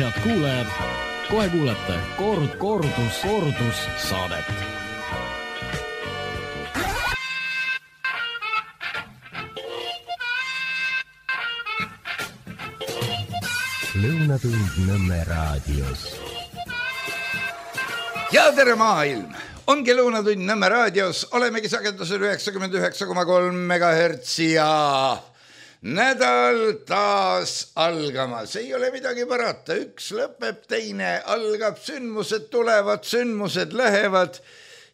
Head kuulajad, kohe kuulete kordus saadet. Lõunatund Nõmme raadios. Ja tere maailm! Ongi Lõunatund Nõmme raadios. Olemegi sagedusel 99,3 MHz ja nädal taas algamas. Ei ole midagi parata. Üks lõpeb, teine algab. Sündmused tulevad, sündmused lähevad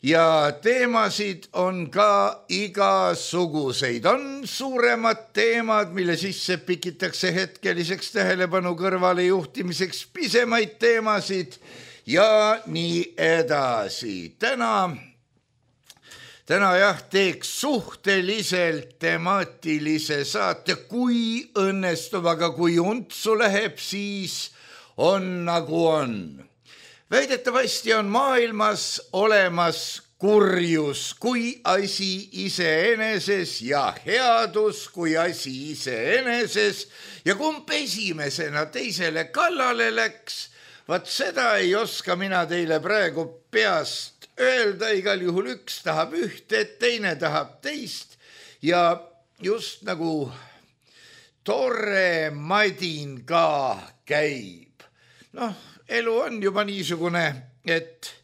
ja teemasid on ka igasuguseid. On suuremad teemad, mille sisse pikitakse hetkeliseks tähelepanu kõrvale juhtimiseks, pisemaid teemasid ja nii edasi. Täna jah, teeks suhteliselt temaatilise saate, kui õnnestub, aga kui untsu läheb, siis on nagu on. Väidetavasti on maailmas olemas kurjus kui asi iseeneses ja headus kui asi iseeneses ja kumb esimesena teisele kallale läks, vaat seda ei oska mina teile praegu peast öelda, igal juhul üks tahab ühte, teine tahab teist ja just nagu tore madin ka käib. Elu on juba niisugune, et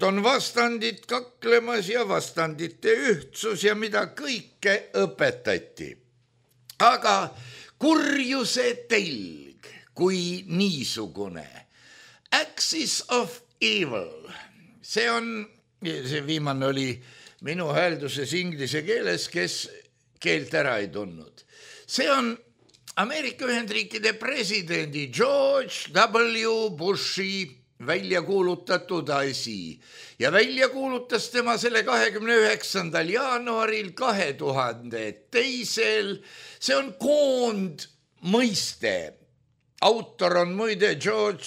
on vastandid kaklemas ja vastandite ühtsus ja mida kõike õpetati. Aga kurjuse telg kui niisugune, axis of evil, see viimane oli minu häälduses inglise keeles, kes keelt ära ei tundnud. See on Ameerika Ühendriikide presidendi George W. Bushi välja kuulutatud asi ja välja kuulutas tema selle 29. jaanuaril 2002. See on koondmõiste. Autor on muide George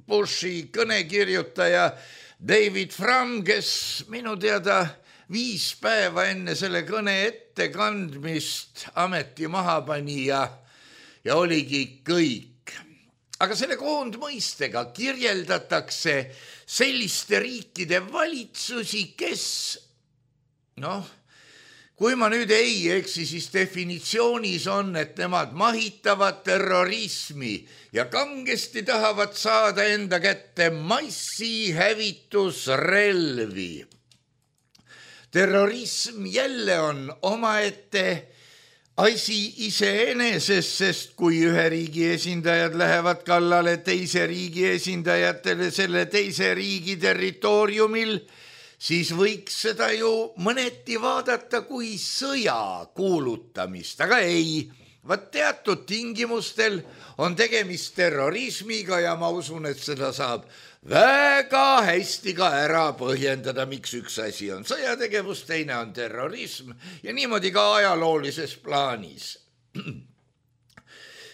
Bushi kõnekirjutaja David Frum, kes minu teada 5 päeva enne selle kõne ettekandmist ameti maha pani ja oligi kõik. Aga selle koondmõistega kirjeldatakse selliste riikide valitsusi, kes, kui ma nüüd ei eksi, siis definitsioonis on, et nemad mahitavad terrorismi ja kangesti tahavad saada enda kätte massihävitusrelvi. Terrorism jälle on omaette asi iseeneses, sest kui ühe riigi esindajad lähevad kallale teise riigi esindajatele selle teise riigi territooriumil, siis võiks seda ju mõneti vaadata kui sõja kuulutamist, aga ei. Vaat teatud tingimustel on tegemist terrorismiga ja ma usun, et seda saab väga hästi ka ära põhjendada, miks üks asi on sõjategevus, teine on terrorism ja niimoodi ka ajaloolises plaanis.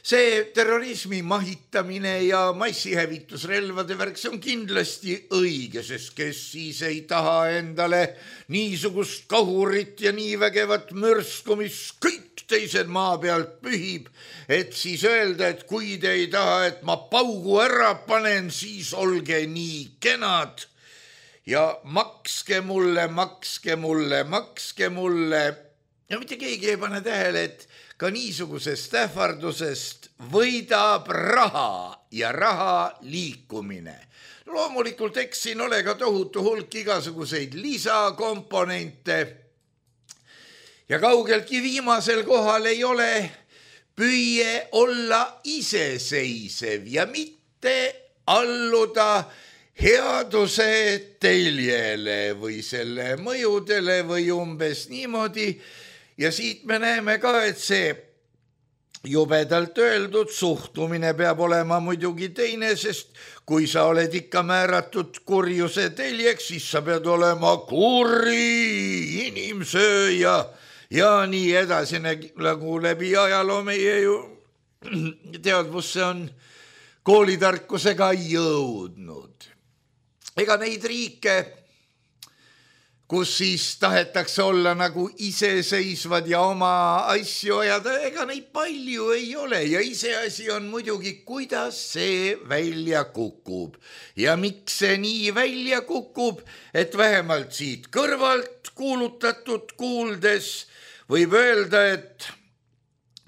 See terrorismi mahitamine ja massihävitusrelvade värk, see on kindlasti õige, sest kes siis ei taha endale niisugust kahurit ja nii vägevat mürsku, mis kõik teised maa pealt pühib, et siis öelda, et kui te ei taha, et ma paugu ära panen, siis olge nii kenad ja makske mulle. Ja mitte keegi ei pane tähele, et ka niisugusest ähvardusest võidab raha ja raha liikumine. Loomulikult eks siin ole ka tohutu hulk igasuguseid lisakomponente ja kaugeltki viimasel kohal ei ole püüe olla iseseisev ja mitte alluda headuse teljele või selle mõjudele või umbes niimoodi. Ja siit me näeme ka, et see jubedalt öeldud suhtumine peab olema muidugi teine, sest kui sa oled ikka määratud kurjuse teljeks, siis sa pead olema kuri inimsööja ja nii edasi, nagu läbi ajaloo meie ju teadvusse on koolitarkusega jõudnud. Ega neid riike kus siis tahetakse olla nagu iseseisvad ja oma asju ajada, ega neid palju ei ole ja iseasi on muidugi, kuidas see välja kukub. Ja miks see nii välja kukub, et vähemalt siit kõrvalt kuulutatud kuuldes võib öelda, et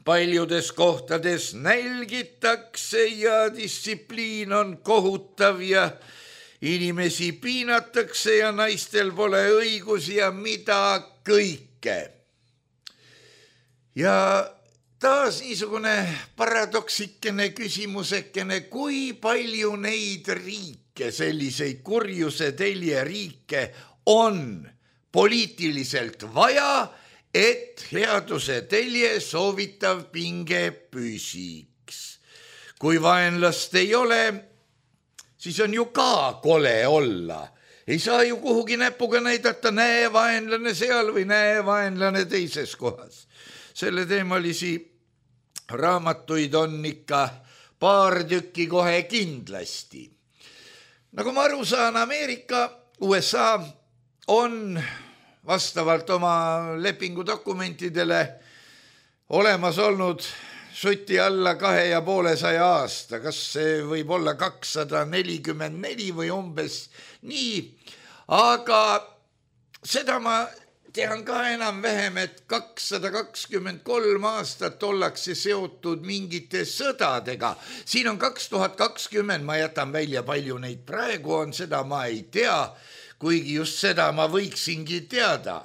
paljudes kohtades nälgitakse ja distsipliin on kohutav ja inimesi piinatakse ja naistel pole õigusi ja mida kõike. Ja taas niisugune paradoksikene küsimusekene, kui palju neid riike, selliseid kurjuse telje riike on poliitiliselt vaja, et headuse telje soovitav pinge püsiks. Kui vaenlast ei ole, siis on ju ka kole olla. Ei saa ju kuhugi näpuga näidata, näe vaenlane seal või näe vaenlane teises kohas. Selle teemalisi raamatuid on ikka paar tükki kohe kindlasti. Nagu ma aru saan, Ameerika, USA on vastavalt oma lepingudokumentidele olemas olnud suti alla 250 aasta, kas see võib olla 244 või umbes nii, aga seda ma tean ka enam-vähem, et 223 aastat ollakse seotud mingite sõdadega. Siin on 2020, ma jätan välja palju neid praegu on, seda ma ei tea, kuigi just seda ma võiksingi teada.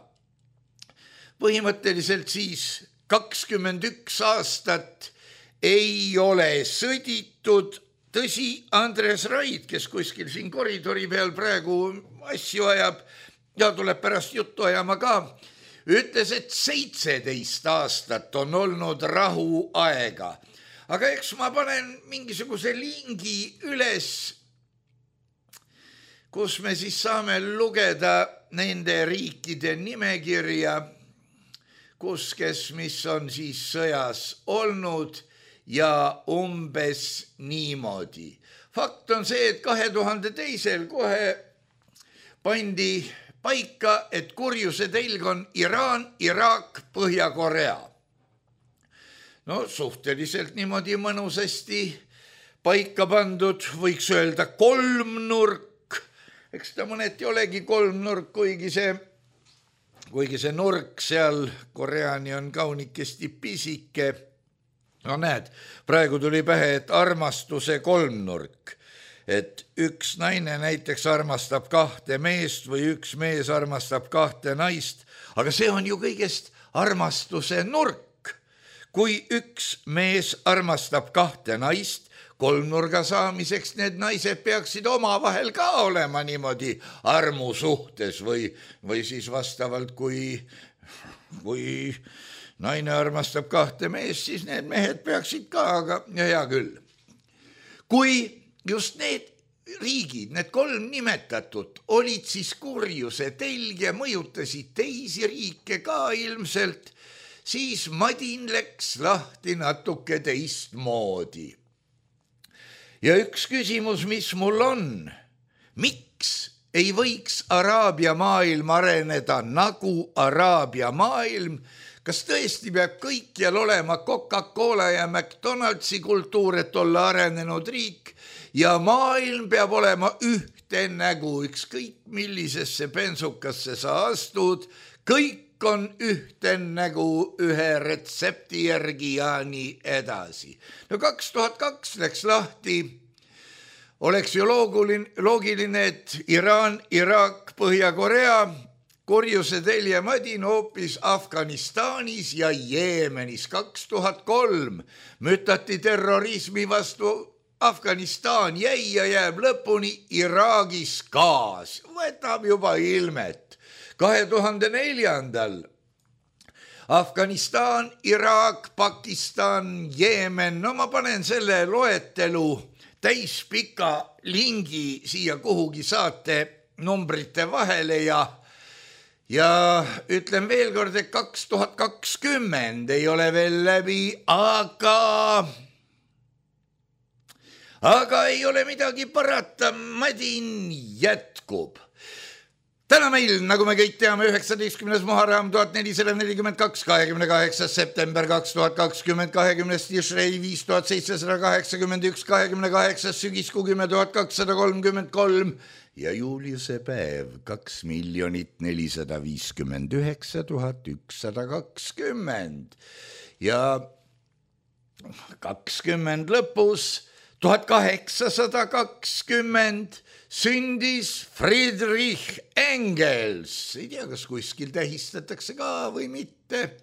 Põhimõtteliselt siis 21 aastat ei ole sõditud. Tõsi, Andres Raid, kes kuskil siin koridori peal praegu asju ajab ja tuleb pärast juttu ajama ka, ütles, et 17 aastat on olnud rahuaega. Aga eks ma panen mingisuguse lingi üles, kus me siis saame lugeda nende riikide nimekirja, kus kes mis on siis sõjas olnud ja umbes niimoodi. Fakt on see, et 2002 kohe pandi paika, et kurjuse telg on Iraan, Iraak, Põhja-Korea. No suhteliselt niimoodi mõnusasti paika pandud, võiks öelda kolmnurk. Eks ta mõneti olegi kolmnurk, kuigi see nurk seal Koreani on kaunikesti pisike. No näed, praegu tuli pähe, et armastuse kolmnurk. Et üks naine näiteks armastab 2 meest või üks mees armastab 2 naist, aga see on ju kõigest armastuse nurk. Kui üks mees armastab 2 naist, kolmnurga saamiseks need naised peaksid omavahel ka olema niimoodi armusuhtes või siis vastavalt, kui naine armastab 2 meest, siis need mehed peaksid ka, aga hea küll. Kui just need riigid, need 3 nimetatud, olid siis kurjuse telg ja mõjutasid teisi riike ka ilmselt, siis madin läks lahti natuke teistmoodi. Ja üks küsimus, mis mul on, miks ei võiks Araabia maailm areneda nagu Araabia maailm? Kas tõesti peab kõikjal olema Coca-Cola ja McDonaldsi kultuur, et olla arenenud riik ja maailm peab olema ühte nägu, ükskõik millisesse bensukasse sa astud, kõik on ühte nägu ühe retsepti järgi ja nii edasi. No 2002 läks lahti, oleks ju loogiline, et Iraan, Iraak, Põhja-Korea, kurjuse telje madin hoopis Afganistanis ja Jeemenis. 2003 mütati terrorismi vastu Afganistan, jäi ja jääb lõpuni Iraagis gaas, võtab juba ilmet. 2004 Afganistan, Iraak, Pakistan, Jeemen, no ma panen selle loetelu täispika lingi siia kuhugi saate numbrite vahele ja ütlen veel kord, et 2020 ei ole veel läbi, aga ei ole midagi parata, madin jätkub. Täna meil, nagu me kõik teame, 19. Muharram 1442, 28. september 2020, 20. Tishrei 5781, 28. sügiskuu 10.233 ja Juliuse päev 2,459,120 ja 20 lõpus 1820 sündis Friedrich Engels. Ei tea, kas kuskil tähistatakse ka või mitte.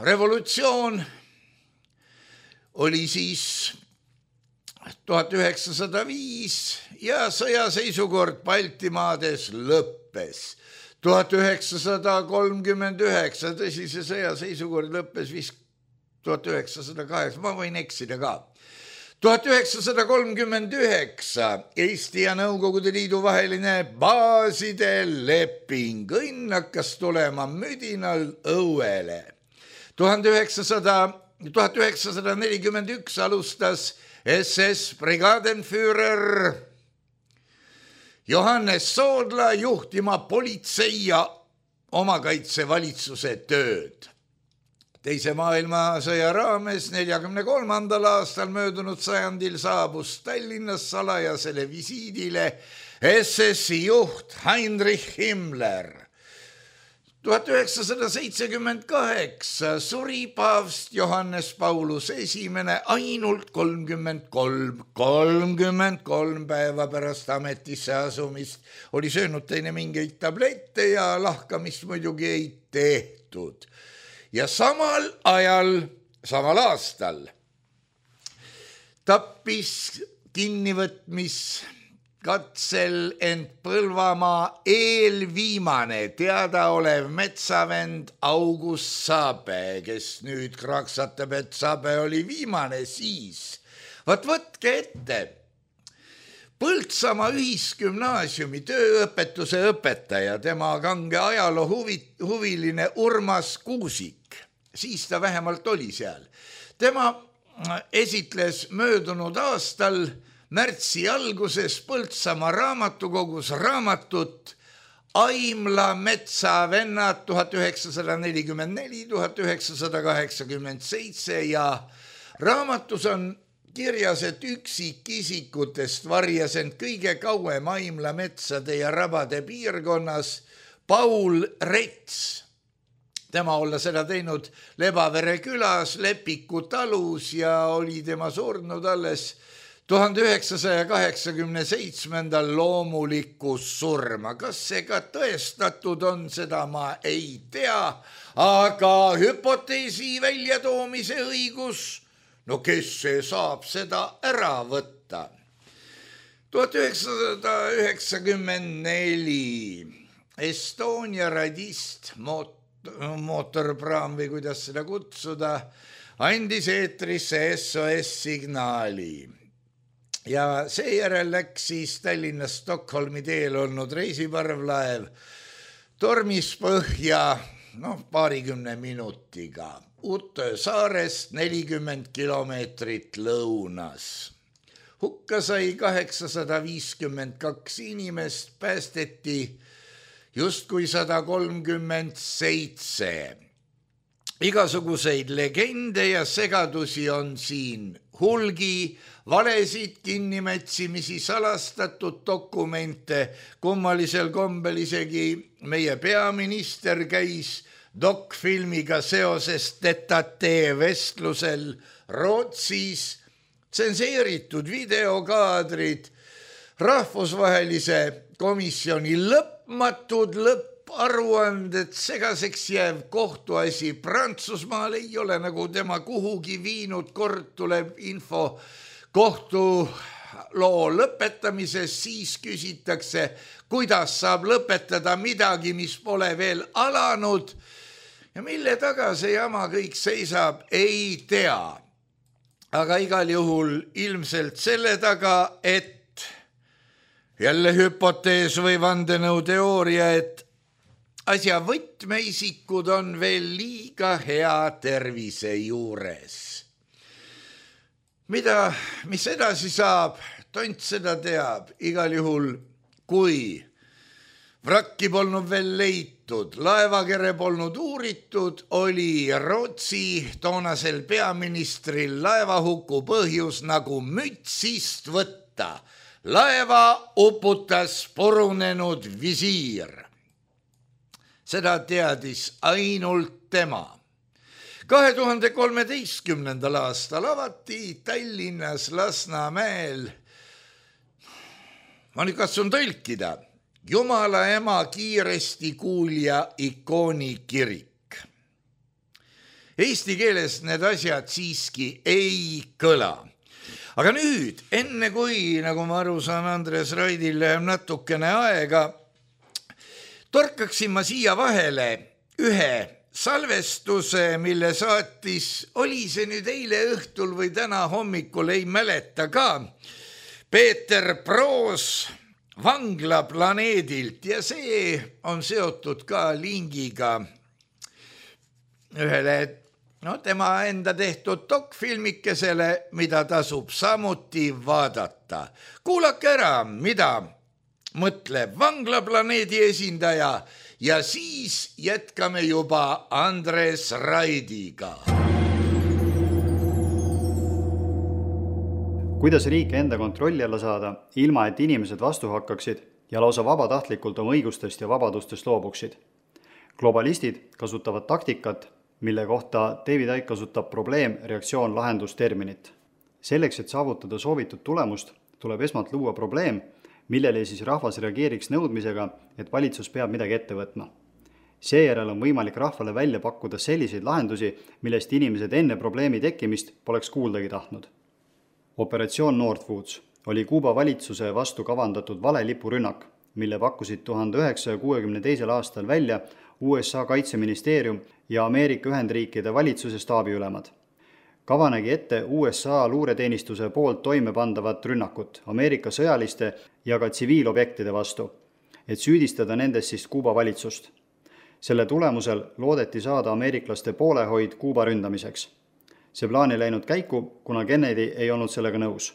Revolutsioon oli siis 1905 ja sõjaseisukord Baltimaades lõppes. 1939, tõsi, see sõjaseisukord lõppes vist 1908, ma võin eksida ka. 1939 Eesti ja Nõukogude Liidu vaheline baaside leping, õnn hakkas tulema müdinal õuele. 1941 alustas SS brigadenführer Johannes Soodla juhtima politsei ja omakaitsevalitsuse tööd. Teise maailmasõja raames 1943. aastal möödunud sajandil saabus Tallinnas salajasele visiidile SS-i juht Heinrich Himmler. 1978 suri paavst Johannes Paulus I ainult 33 päeva pärast ametisse asumist. Oli söönud teine mingeid tablette ja lahkamist muidugi ei tehtud. Ja samal aastal tappis kinnivõtmiskatsel ent Põlvamaa eelviimane teadaolev metsavend August Sabe, kes nüüd kraksatab, et Sabe oli viimane siis. Võtke ette. Põltsamaa ühisgümnaasiumi tööõpetuse õpetaja, tema kange ajaloo huviline Urmas Kuusik, siis ta vähemalt oli seal. Tema esitles möödunud aastal märtsi alguses Põltsamaa raamatukogus raamatut Aimla metsavennad 1944-1987 ja raamatus on kirjas, et üksikisikutest varjas end kõige kauem Aimla metsade ja rabade piirkonnas Paul Rets. Tema olla seda teinud Lebavere külas, Lepiku talus ja oli tema surnud alles 1987. loomulikus surma. Kas see ka tõestatud on, seda ma ei tea, aga hüpoteesi väljatoomise õigus, no kes see saab seda ära võtta? 1994 Estonia radist, mootorpraam või kuidas seda kutsuda, andis eetrisse SOS-signaali. Ja seejärel läks siis Tallinnast Stockholmi teel olnud reisiparvlaev tormis põhja, paarikümne minutiga. Utö saarest 40 kilomeetrit lõunas. Hukka sai 852 inimest, päästeti justkui 137. Igasuguseid legende ja segadusi on siin hulgi, valesid, kinnimätsimisi, salastatud dokumente, kummalisel kombel isegi meie peaminister käis dokfilmiga seoses tetatee vestlusel Rootsis, tsenseeritud videokaadrid, rahvusvahelise komisjoni lõpmatud lõpparuanded, segaseks jääv kohtuasi Prantsusmaal ei ole nagu tema kuhugi viinud, kord tuleb info kohtuloo lõpetamises, siis küsitakse, kuidas saab lõpetada midagi, mis pole veel alanud. Ja mille taga see jama kõik seisab, ei tea. Aga igal juhul ilmselt selle taga, et jälle hüpotees või vandenõuteooria, et asja võtmeisikud on veel liiga hea tervise juures. Mis edasi saab, tont seda teab, igal juhul kui Vrakki polnud veel leitud, laevakere polnud uuritud, oli Rootsi toonasel peaministril laevahuku põhjus nagu mütsist võtta. Laeva uputas purunenud visiir. Seda teadis ainult tema. 2013. aastal avati Tallinnas Lasnamäel, ma nüüd katsun tõlkida, Jumala ema kiiresti kuulja ikooni kirik. Eesti keeles need asjad siiski ei kõla. Aga nüüd, enne kui, nagu ma aru saan, Andres Raidil läheb natukene aega, torkaksin ma siia vahele ühe salvestuse, mille saatis, oli see nüüd eile õhtul või täna hommikul, ei mäleta ka, Peeter Proos Vanglaplaneedilt ja see on seotud ka lingiga ühele tema enda tehtud dokfilmikesele, mida tasub samuti vaadata. Kuulake ära, mida mõtleb Vanglaplaneedi esindaja ja siis jätkame juba Andres Raidiga. Kuidas riike enda kontrolli alla saada, ilma et inimesed vastu hakkaksid ja lausa vabatahtlikult oma õigustest ja vabadustest loobuksid. Globalistid kasutavad taktikat, mille kohta David Icke kasutab probleem, reaktsioon, lahendus terminit. Selleks, et saavutada soovitud tulemust, tuleb esmalt luua probleem, millele siis rahvas reageeriks nõudmisega, et valitsus peab midagi ette võtma. Seejärel on võimalik rahvale välja pakkuda selliseid lahendusi, millest inimesed enne probleemi tekkimist poleks kuuldagi tahtnud. Operatsioon Northwoods oli Kuuba valitsuse vastu kavandatud valelipurünnak, mille pakkusid 1962. aastal välja USA kaitseministeerium ja Ameerika Ühendriikide valitsuse staabiülemad. Kava nägi ette USA luureteenistuse poolt toimepandavat rünnakut Ameerika sõjaliste ja ka tsiviilobjektide vastu, et süüdistada nendest siis Kuuba valitsust. Selle tulemusel loodeti saada ameeriklaste poolehoid Kuuba ründamiseks. See plaan ei läinud käiku, kuna Kennedy ei olnud sellega nõus.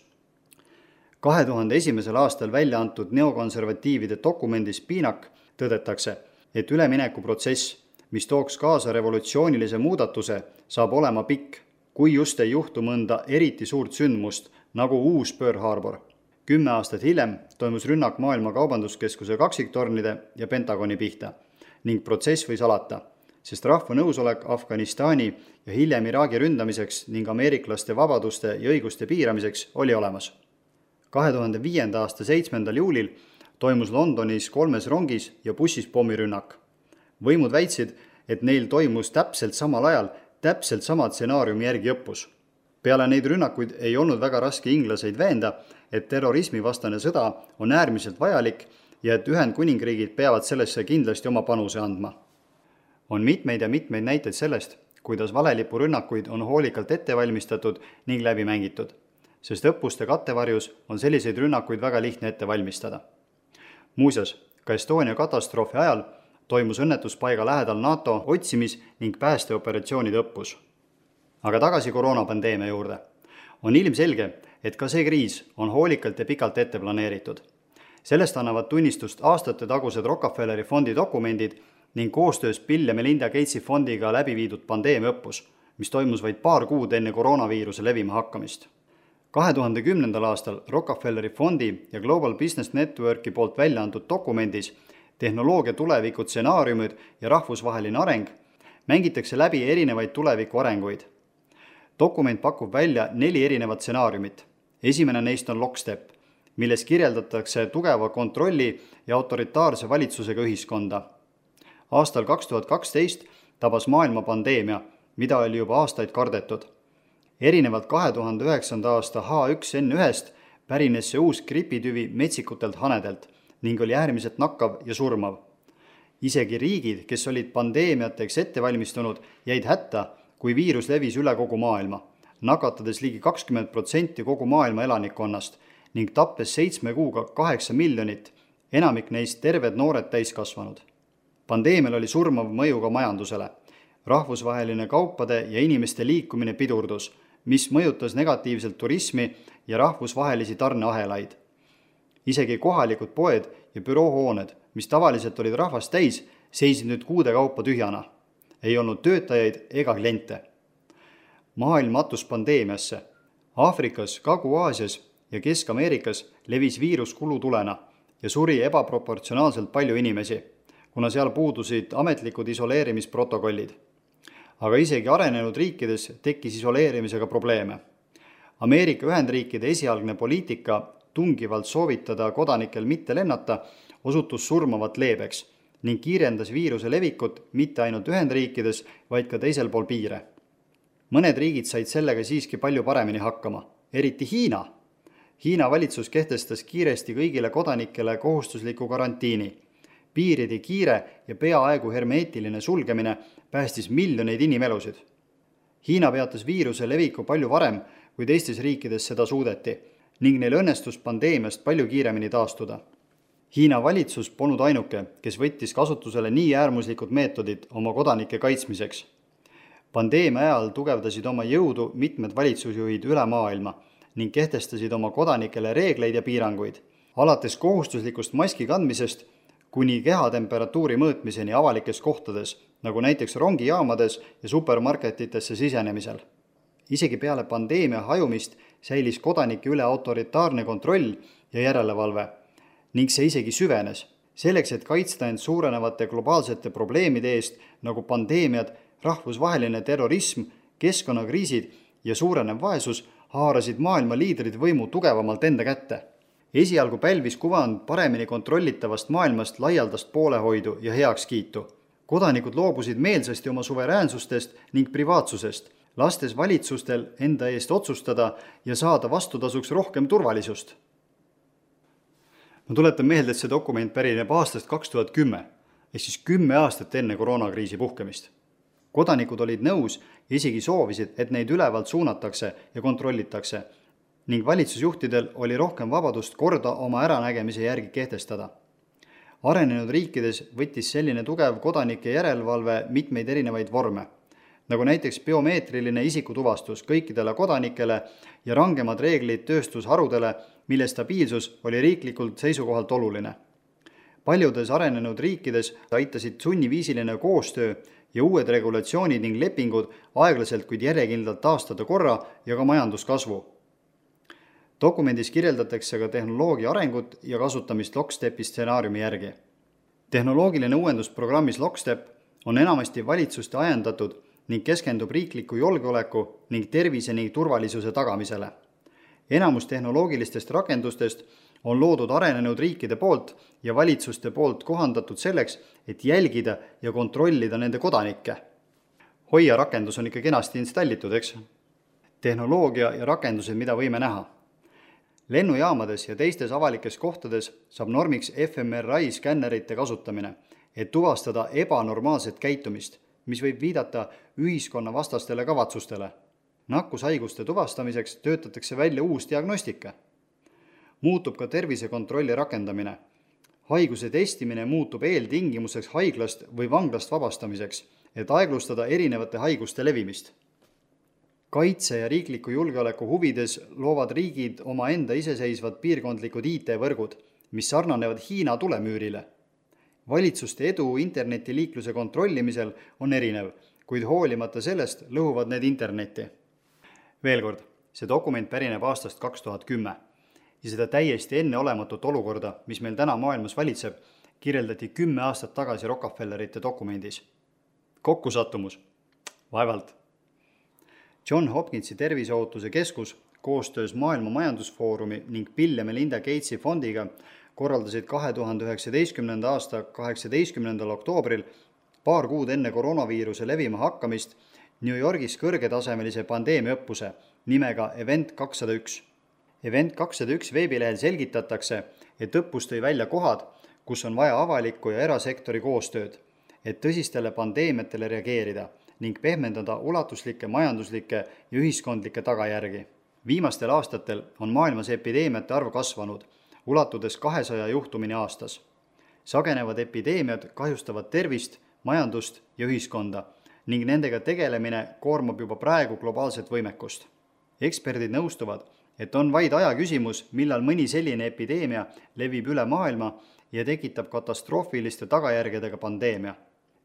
2001. aastal välja antud neokonservatiivide dokumendis Piinak tõdetakse, et üleminekuprotsess, mis tooks kaasa revolutsioonilise muudatuse, saab olema pikk, kui just ei juhtu mõnda eriti suurt sündmust, nagu uus Pearl Harbor. 10 aastat hiljem toimus rünnak Maailma Kaubanduskeskuse kaksiktornide ja Pentagoni pihta ning protsess võis alata, sest rahva nõusolek Afganistani ja hiljem Iraagi ründamiseks ning ameeriklaste vabaduste ja õiguste piiramiseks oli olemas. 2005. aasta 7. juulil toimus Londonis 3 rongis ja bussis pommirünnak. Võimud väitsid, et neil toimus täpselt samal ajal täpselt sama stsenaariumi järgi õppus. Peale neid rünnakuid ei olnud väga raske inglaseid veenda, et terrorismivastane sõda on äärmiselt vajalik ja et Ühendkuningriigid peavad sellesse kindlasti oma panuse andma. On mitmeid ja mitmeid näiteid sellest, kuidas valelipurünnakuid on hoolikalt ette valmistatud ning läbi mängitud, sest õppuste kattevarjus on selliseid rünnakuid väga lihtne ette valmistada. Muuseas, ka Estonia katastroofi ajal toimus õnnetuspaiga lähedal NATO otsimis- ning päästeoperatsioonide õppus. Aga tagasi koroonapandeemia juurde. On ilmselge, et ka see kriis on hoolikalt ja pikalt ette planeeritud. Sellest annavad tunnistust aastate tagused Rockefelleri fondi dokumendid ning koostöös Bill ja Melinda Gatesi fondiga läbi viidud pandeemiaõppus, mis toimus vaid paar kuud enne koroonaviiruse levima hakkamist. 2010. aastal Rockefelleri fondi ja Global Business Networki poolt välja antud dokumendis tehnoloogia tuleviku stsenaariumid ja rahvusvaheline areng mängitakse läbi erinevaid tuleviku arenguid. Dokument pakub välja 4 erinevat stsenaariumit. Esimene neist on lockstep, milles kirjeldatakse tugeva kontrolli ja autoritaarse valitsusega ühiskonda. Aastal 2012 tabas maailma pandeemia, mida oli juba aastaid kardetud. Erinevalt 2009. aasta H1N1-st pärines see uus gripitüvi metsikutelt hanedelt ning oli äärmiselt nakkav ja surmav. Isegi riigid, kes olid pandeemiateks ette valmistunud, jäid hätta, kui viirus levis üle kogu maailma, nakatades ligi 20% kogu maailma elanikkonnast ning tappes 7 kuuga 8 miljonit, enamik neist terved noored täiskasvanud. Pandeemial oli surmav mõju ka majandusele. Rahvusvaheline kaupade ja inimeste liikumine pidurdus, mis mõjutas negatiivselt turismi ja rahvusvahelisi tarneahelaid. Isegi kohalikud poed ja büroohooned mis tavaliselt olid rahvast täis, seisid nüüd kuude kaupa tühjana. Ei olnud töötajaid ega kliente. Maailm matus pandeemiasse. Aafrikas, Kagu-Aasias ja Kesk-Ameerikas levis viirus kulutulena ja suri ebaproportsionaalselt palju inimesi, kuna seal puudusid ametlikud isoleerimisprotokollid. Aga isegi arenenud riikides tekkis isoleerimisega probleeme. Ameerika Ühendriikide esialgne poliitika tungivalt soovitada kodanikel mitte lennata osutus surmavat leebeks ning kiirendas viiruse levikut mitte ainult Ühendriikides, vaid ka teisel pool piire. Mõned riigid said sellega siiski palju paremini hakkama, eriti Hiina. Hiina valitsus kehtestas kiiresti kõigile kodanikele kohustusliku karantiini. Piiride kiire ja peaaegu hermeetiline sulgemine päästis miljoneid inimelusid. Hiina peatas viiruse leviku palju varem, kui teistes riikides seda suudeti, ning neil õnnestus pandeemiast palju kiiremini taastuda. Hiina valitsus polnud ainuke, kes võttis kasutusele nii äärmuslikud meetodid oma kodanike kaitsmiseks. Pandeemia ajal tugevdasid oma jõudu mitmed valitsusjuhid üle maailma ning kehtestasid oma kodanikele reegleid ja piiranguid, alates kohustuslikust maski kandmisest kuni kehatemperatuuri mõõtmiseni avalikes kohtades, nagu näiteks rongijaamades ja supermarketitesse sisenemisel. Isegi peale pandeemia hajumist säilis kodanike üle autoritaarne kontroll ja järelevalve ning see isegi süvenes. Selleks, et kaitsta end suurenevate globaalsete probleemide eest nagu pandeemiad, rahvusvaheline terrorism, keskkonnakriisid ja suurenev vaesus haarasid maailma liidrid võimu tugevamalt enda kätte. Esialgu pälvis kuvand paremini kontrollitavast maailmast laialdast poolehoidu ja heakskiitu. Kodanikud loobusid meelsasti oma suveräänsustest ning privaatsusest, lastes valitsustel enda eest otsustada ja saada vastutasuks rohkem turvalisust. Ma tuletan meelde, et see dokument pärineb aastast 2010, ehk siis 10 aastat enne koroonakriisi puhkemist. Kodanikud olid nõus ja isegi soovisid, et neid ülevalt suunatakse ja kontrollitakse ning valitsusjuhtidel oli rohkem vabadust korda oma äranägemise järgi kehtestada. Arenenud riikides võttis selline tugev kodanike järelevalve mitmeid erinevaid vorme, nagu näiteks biomeetriline isikutuvastus kõikidele kodanikele ja rangemad reeglid tööstusharudele, mille stabiilsus oli riiklikult seisukohalt oluline. Paljudes arenenud riikides aitasid sunniviisiline koostöö ja uued regulatsioonid ning lepingud aeglaselt, kuid järjekindlalt taastada korra ja ka majanduskasvu. Dokumendis kirjeldatakse ka tehnoloogia arengut ja kasutamist Lockstepi stsenaariumi järgi. Tehnoloogiline uuendusprogrammis Lockstep on enamasti valitsuste ajendatud ning keskendub riikliku julgeoleku ning tervise ning turvalisuse tagamisele. Enamus tehnoloogilistest rakendustest on loodud arenenud riikide poolt ja valitsuste poolt kohandatud selleks, et jälgida ja kontrollida nende kodanikke. Hoia rakendus on ikka kenasti installitud, eks? Tehnoloogia ja rakendused, mida võime näha. Lennujaamades ja teistes avalikes kohtades saab normiks fMRI skännerite kasutamine, et tuvastada ebanormaalset käitumist, mis võib viidata ühiskonna vastastele kavatsustele. Nakkushaiguste tuvastamiseks töötatakse välja uus diagnostika. Muutub ka tervisekontrolli rakendamine. Haiguse testimine muutub eeltingimuseks haiglast või vanglast vabastamiseks, et aeglustada erinevate haiguste levimist. Kaitse ja riikliku julgeoleku huvides loovad riigid oma enda iseseisvad piirkondlikud IT-võrgud, mis sarnanevad Hiina tulemüürile. Valitsuste edu internetiliikluse kontrollimisel on erinev, kuid hoolimata sellest lõhuvad need internetti. Veel kord, see dokument pärineb aastast 2010 ja seda täiesti enneolematut olukorda, mis meil täna maailmas valitseb, kirjeldati 10 aastat tagasi Rockefellerite dokumendis. Kokkusattumus? Vaevalt. John Hopkinsi terviseohutuse keskus koostöös Maailma Majandusfoorumi ning Bill ja Melinda Gatesi fondiga korraldasid 2019. aasta 18. oktoobril, paar kuud enne koroonaviiruse levima hakkamist, New Yorgis kõrgetasemelise pandeemiaõppuse nimega Event 201. Event 201 veebilehel selgitatakse, et õppus tõi välja kohad, kus on vaja avalikku ja erasektori koostööd, et tõsistele pandeemiatele reageerida ning pehmendada ulatuslikke majanduslikke ja ühiskondlikke tagajärgi. Viimastel aastatel on maailmas epideemiate arv kasvanud, ulatudes 200 juhtumini aastas. Sagenevad epideemiad kahjustavad tervist, majandust ja ühiskonda ning nendega tegelemine koormab juba praegu globaalset võimekust. Eksperdid nõustuvad, et on vaid aja küsimus, millal mõni selline epideemia levib üle maailma ja tekitab katastroofiliste tagajärgedega pandeemia.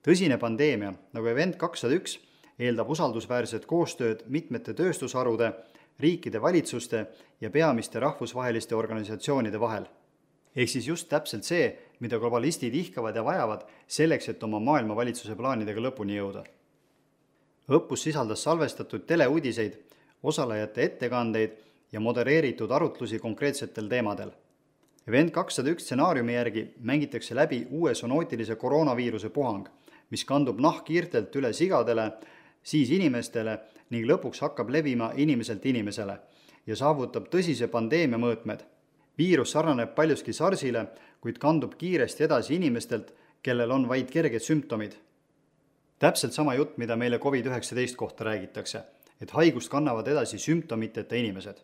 Tõsine pandeemia, nagu Event 201, eeldab usaldusväärset koostööd mitmete tööstusharude, riikide valitsuste ja peamiste rahvusvaheliste organisatsioonide vahel. Ehk siis just täpselt see, mida globalistid ihkavad ja vajavad selleks, et oma maailmavalitsuse plaanidega lõpuni jõuda. Õppus sisaldas salvestatud teleuudiseid, osalejate ettekandeid ja modereeritud arutlusi konkreetsetel teemadel. Event 201 stsenaariumi järgi mängitakse läbi uue sonootilise koroonaviiruse puhang, mis kandub nahkhiirtelt üle sigadele, siis inimestele ning lõpuks hakkab levima inimeselt inimesele ja saavutab tõsise pandeemia mõõtmed. Viirus sarnaneb paljuski SARSile, kuid kandub kiiresti edasi inimestelt, kellel on vaid kerged sümptomid. Täpselt sama jutt, mida meile COVID-19 kohta räägitakse, et haigust kannavad edasi sümptomiteta inimesed.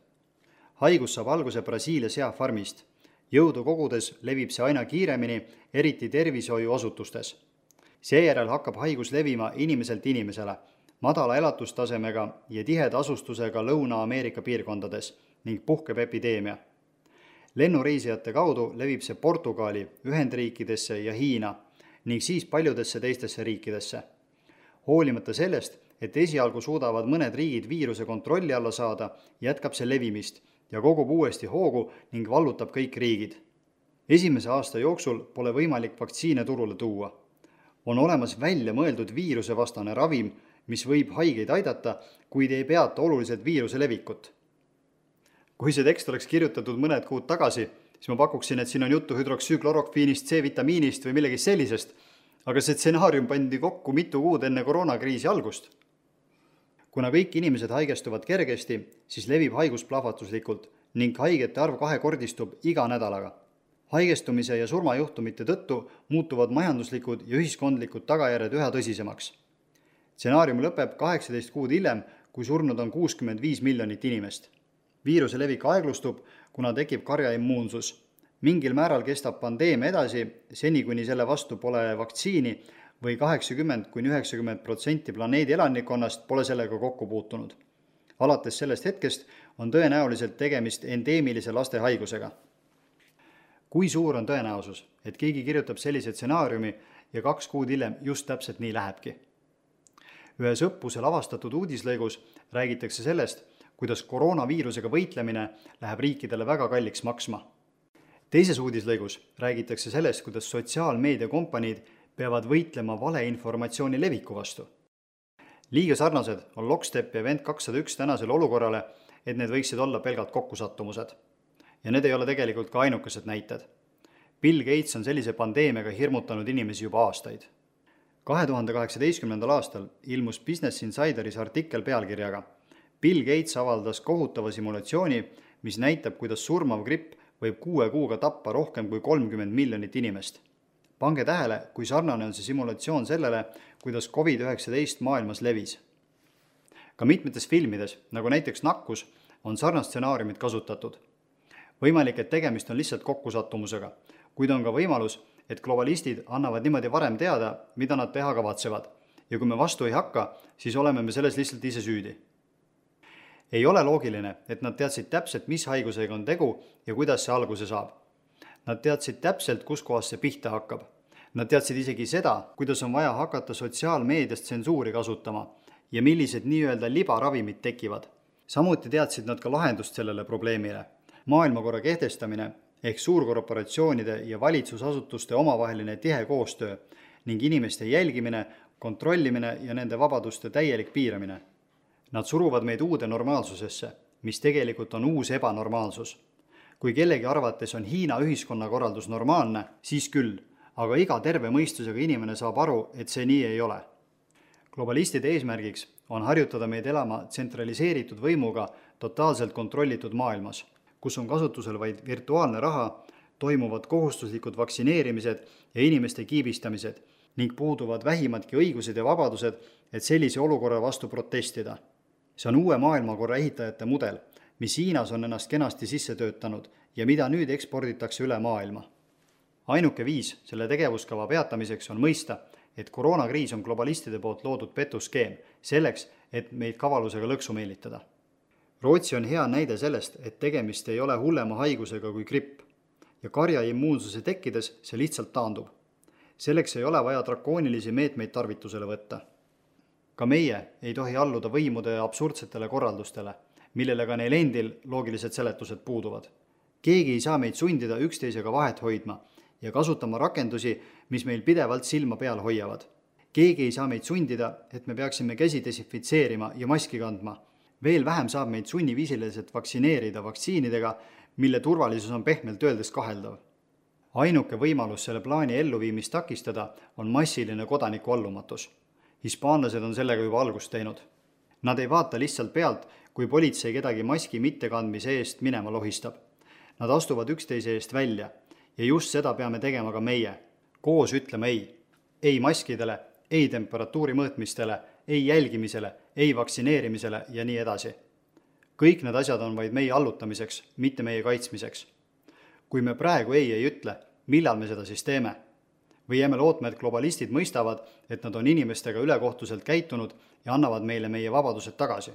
Haigus saab alguse Brasiilia seafarmist. Jõudu kogudes levib see aina kiiremini, eriti tervishoiuasutustes. Seejärel hakkab haigus levima inimeselt inimesele, madala elatustasemega ja tiheda asustusega Lõuna-Ameerika piirkondades ning puhkeb epideemia. Lennureisijate kaudu levib see Portugali, Ühendriikidesse ja Hiina ning siis paljudesse teistesse riikidesse. Hoolimata sellest, et esialgu suudavad mõned riigid viiruse kontrolli alla saada, jätkab see levimist ja kogub uuesti hoogu ning vallutab kõik riigid. Esimese aasta jooksul pole võimalik vaktsiine turule tuua. On olemas välja mõeldud viirusevastane ravim, mis võib haigeid aidata, kuid ei peata oluliselt viiruse levikut. Kui see tekst oleks kirjutatud mõned kuud tagasi, siis ma pakuksin, et siin on juttu hüdroksüüklorokviinist, C-vitamiinist või millegi sellisest, aga see stsenaarium pandi kokku mitu kuud enne koroonakriisi algust. Kuna kõik inimesed haigestuvad kergesti, siis levib haigus plahvatuslikult ning haigete arv kahekordistub iga nädalaga. Haigestumise ja surmajuhtumite tõttu muutuvad majanduslikud ja ühiskondlikud tagajärjed üha tõsisemaks. Stsenaarium lõpeb 18 kuud hiljem, kui surnud on 65 miljonit inimest. Viiruse levik aeglustub, kuna tekib karjaimmuunsus. Mingil määral kestab pandeemia edasi, seni kuni selle vastu pole vaktsiini või 80–90% planeedi elanikkonnast pole sellega kokku puutunud. Alates sellest hetkest on tõenäoliselt tegemist endeemilise laste haigusega. Kui suur on tõenäosus, et keegi kirjutab sellise stsenaariumi ja 2 kuud hiljem just täpselt nii lähebki? Ühes õppusel avastatud uudislõigus räägitakse sellest, kuidas koroonaviirusega võitlemine läheb riikidele väga kalliks maksma. Teises uudislõigus räägitakse sellest, kuidas sotsiaalmeediakompaniid peavad võitlema valeinformatsiooni leviku vastu. Liiga sarnased on Lockstep ja Event 201 tänasele olukorrale, et need võiksid olla pelgalt kokkusattumused. Ja need ei ole tegelikult ka ainukesed näited. Bill Gates on sellise pandeemiaga hirmutanud inimesi juba aastaid. 2018. aastal ilmus Business Insideris artikkel pealkirjaga Bill Gates avaldas kohutava simulatsiooni, mis näitab, kuidas surmav gripp võib 6 kuuga tappa rohkem kui 30 miljonit inimest. Pange tähele, kui sarnane on see simulatsioon sellele, kuidas COVID-19 maailmas levis. Ka mitmetes filmides, nagu näiteks Nakkus, on sarnast stsenaariumit kasutatud. Võimalik, et tegemist on lihtsalt kokkusattumusega, kuid on ka võimalus, et globalistid annavad niimoodi varem teada, mida nad teha kavatsevad. Ja kui me vastu ei hakka, siis oleme me selles lihtsalt ise süüdi. Ei ole loogiline, et nad teadsid täpselt, mis haigusega on tegu ja kuidas see alguse saab. Nad teadsid täpselt, kus kohas see pihta hakkab. Nad teadsid isegi seda, kuidas on vaja hakata sotsiaalmeediast tsensuuri kasutama ja millised nii-öelda libaravimid tekivad. Samuti teadsid nad ka lahendust sellele probleemile. Maailmakorra kehtestamine ehk suurkorporatsioonide ja valitsusasutuste omavaheline tihe koostöö ning inimeste jälgimine, kontrollimine ja nende vabaduste täielik piiramine. Nad suruvad meid uude normaalsusesse, mis tegelikult on uus ebanormaalsus. Kui kellegi arvates on Hiina ühiskonnakorraldus normaalne, siis küll, aga iga terve mõistusega inimene saab aru, et see nii ei ole. Globalistide eesmärgiks on harjutada meid elama tsentraliseeritud võimuga totaalselt kontrollitud maailmas, kus on kasutusel vaid virtuaalne raha, toimuvad kohustuslikud vaktsineerimised ja inimeste kiibistamised ning puuduvad vähimadki õigused ja vabadused, et sellise olukorra vastu protestida. See on uue maailmakorra ehitajate mudel, mis Hiinas on ennast kenasti sisse töötanud ja mida nüüd eksporditakse üle maailma. Ainuke viis selle tegevuskava peatamiseks on mõista, et koroonakriis on globalistide poolt loodud petuskeem selleks, et meid kavalusega lõksu meelitada. Rootsi on hea näide sellest, et tegemist ei ole hullema haigusega kui gripp. ja karja immuunsuse tekkides see lihtsalt taandub. Selleks ei ole vaja drakoonilisi meetmeid tarvitusele võtta. Ka meie ei tohi alluda võimude absurdsetele korraldustele, millele ka neil endil loogilised seletused puuduvad. Keegi ei saa meid sundida üksteisega vahet hoidma ja kasutama rakendusi, mis meil pidevalt silma peal hoiavad. Keegi ei saa meid sundida, et me peaksime käsi desinfitseerima ja maski kandma. Veel vähem saab meid sunniviisiliselt vaktsineerida vaktsiinidega, mille turvalisus on pehmelt öeldes kaheldav. Ainuke võimalus selle plaani elluviimist takistada on massiline kodaniku allumatus. Hispaanlased on sellega juba algust teinud. Nad ei vaata lihtsalt pealt, kui politsei kedagi maski mittekandmise eest minema lohistab. Nad astuvad üksteise eest välja ja just seda peame tegema ka meie. Koos ütlema ei. Ei maskidele, ei temperatuuri mõõtmistele, ei jälgimisele, ei vaktsineerimisele ja nii edasi. Kõik need asjad on vaid meie allutamiseks, mitte meie kaitsmiseks. Kui me praegu ei ütle, millal me seda siis teeme? Või jääme lootma, et globalistid mõistavad, et nad on inimestega ülekohtuselt käitunud ja annavad meile meie vabadused tagasi.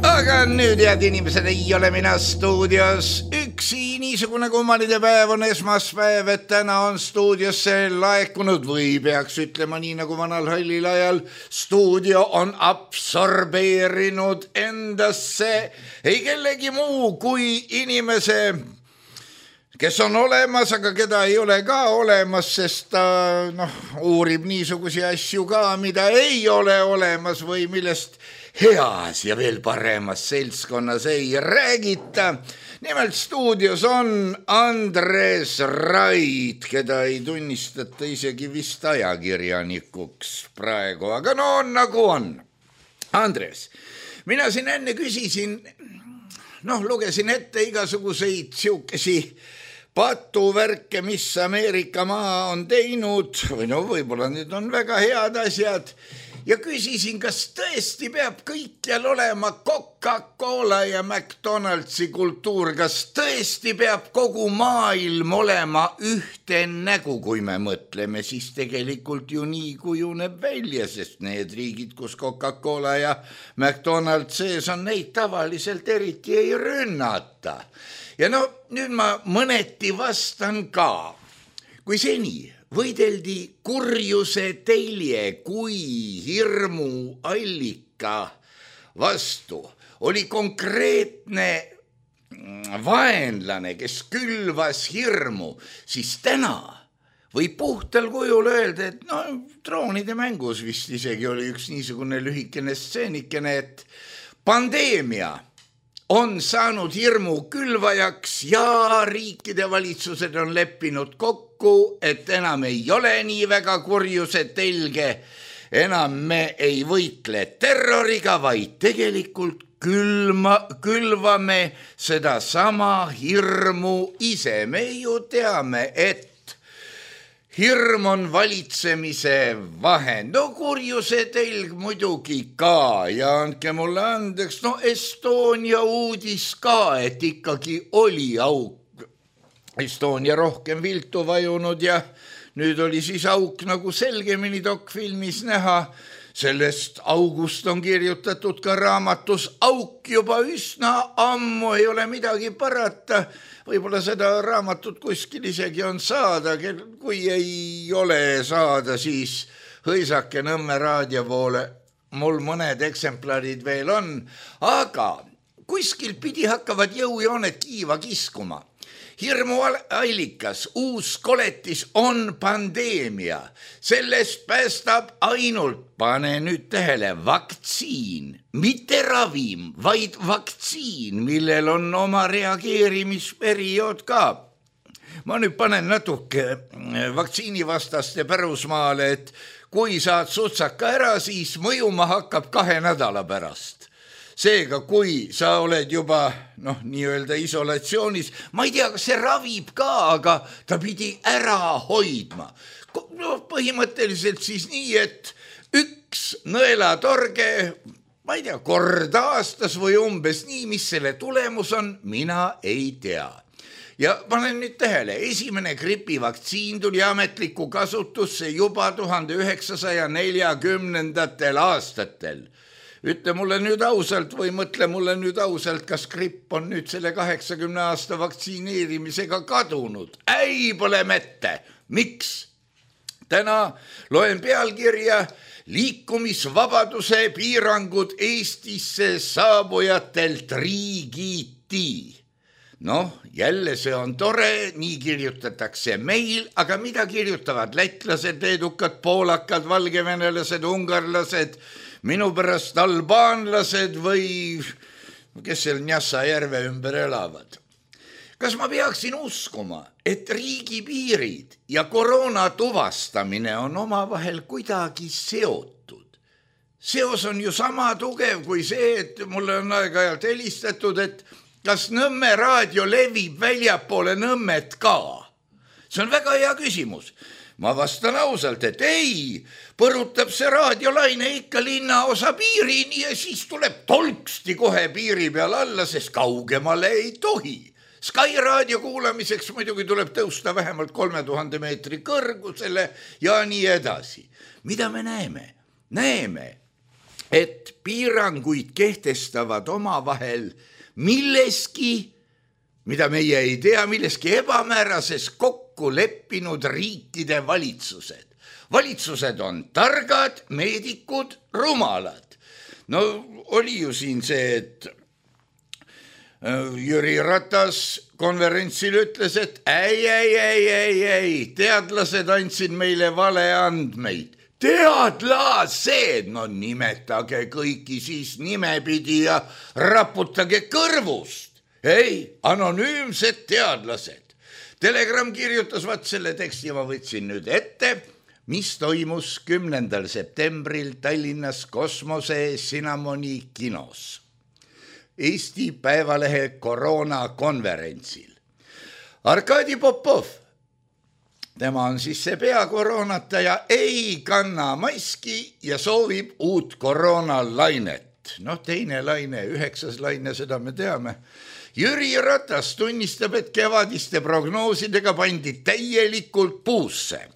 Aga nüüd, head inimesed, ei ole mina stuudios üksi. Niisugune kummalide päev on esmaspäev, et täna on stuudiosse laekunud või peaks ütlema nii nagu vanal hallil ajal. Stuudio on absorbeerinud endasse ei kellegi muu kui inimese, kes on olemas, aga keda ei ole ka olemas, sest ta uurib niisugusi asju ka, mida ei ole olemas või millest heas ja veel paremas seltskonnas ei räägita. Nimelt stuudios on Andres Rait, keda ei tunnistata isegi vist ajakirjanikuks praegu, aga on nagu on. Andres, mina siin enne küsisin, lugesin ette igasuguseid siukesi patuvärke, mis Ameerika maa on teinud, või võib-olla need on väga head asjad, ja küsisin, kas tõesti peab kõikjal olema Coca-Cola ja McDonaldsi kultuur, kas tõesti peab kogu maailm olema ühte nägu, kui me mõtleme, siis tegelikult ju nii kujuneb välja, sest need riigid, kus Coca-Cola ja McDonald's sees on, neid tavaliselt eriti ei rünnata. Ja nüüd ma mõneti vastan ka. Kui seni võideldi kurjuse telje kui hirmu allika vastu, oli konkreetne vaenlane, kes külvas hirmu, siis täna või puhtal kujul öelda, et droonide mängus vist isegi oli üks niisugune lühikene stseenikene, et pandeemia on saanud hirmu külvajaks ja riikide valitsused on leppinud kokku, et enam ei ole nii väga kurjuse telge, enam me ei võitle terroriga, vaid tegelikult külvame seda sama hirmu ise. Me ju teame, et hirm on valitsemise vahend. Kurjuse telg muidugi ka ja andke mulle andeks, Estonia uudis ka, et ikkagi oli auk. Estonia rohkem viltu vajunud ja nüüd oli siis auk nagu selgemini dokfilmis näha. Sellest august on kirjutatud ka raamatus Auk juba üsna ammu, ei ole midagi parata. Võib-olla seda raamatut kuskil isegi on saada, kui ei ole saada, siis hõisake Nõmme raadio poole. Mul mõned eksemplarid veel on, aga kuskil pidi hakkavad jõujooned kiiva kiskuma. Hirmu allikas, uus koletis on pandeemia. Sellest päästab ainult, pane nüüd tähele, vaktsiin. Mitte ravim, vaid vaktsiin, millel on oma reageerimisperiood ka. Ma nüüd panen natuke vaktsiinivastaste pärusmaale, et kui saad sutsaka ära, siis mõjuma hakkab 2 nädala pärast. Seega, kui sa oled juba nii-öelda isolatsioonis, ma ei tea, kas see ravib ka, aga ta pidi ära hoidma. Põhimõtteliselt siis nii, et üks nõelatorge, ma ei tea, kord aastas või umbes nii, mis selle tulemus on, mina ei tea. Ja panen nüüd tähele, esimene gripivaktsiin tuli ametlikku kasutusse juba 1940. aastatel. Ütle mulle nüüd ausalt või mõtle mulle nüüd ausalt, kas gripp on nüüd selle 80 aasta vaktsineerimisega kadunud? Ei, pole mette. Miks? Täna loen pealkirja liikumisvabaduse piirangud Eestisse saabujatelt riigiti. Noh, jälle see on tore, nii kirjutatakse meil, aga mida kirjutavad lätlased, leedukad, poolakad, valgevenelased, ungarlased, minu pärast albaanlased või kes seal Njassa järve ümber elavad? Kas ma peaksin uskuma, et riigipiirid ja koroona tuvastamine on omavahel kuidagi seotud? Seos on ju sama tugev kui see, et mulle on aeg-ajalt helistatud, et kas Nõmme raadio levib väljapoole Nõmmet ka? See on väga hea küsimus. Ma vastan ausalt, et ei, põrutab see raadiolaine ikka linnaosa piirini ja siis tuleb tolksti kohe piiri peal alla, sest kaugemale ei tohi. Sky raadio kuulamiseks muidugi tuleb tõusta vähemalt 3000 meetri kõrgusele ja nii edasi. Mida me näeme? Näeme, et piiranguid kehtestavad omavahel milleski, mida meie ei tea, milleski ebamäärases kokku leppinud riikide valitsused. Valitsused on targad, meedikud, rumalad. No oli ju siin see, et Jüri Ratas konverentsil ütles, et ei, teadlased andsid meile valeandmeid. Teadlased, no nimetage kõiki siis nimepidi ja raputage kõrvust. Ei, anonüümsed teadlased. Telegram kirjutas, vaat selle teksti ma võtsin nüüd ette, mis toimus 10. septembril Tallinnas Kosmose Cinnamoni kinos. Eesti Päevalehe koroonakonverentsil. Arkadi Popov, tema on siis see peakoroonataja, ei kanna maski ja soovib uut koroonalainet. Noh, teine laine, 9. laine, seda me teame. Jüri Ratas tunnistab, et kevadiste prognoosidega pandi täielikult puusse.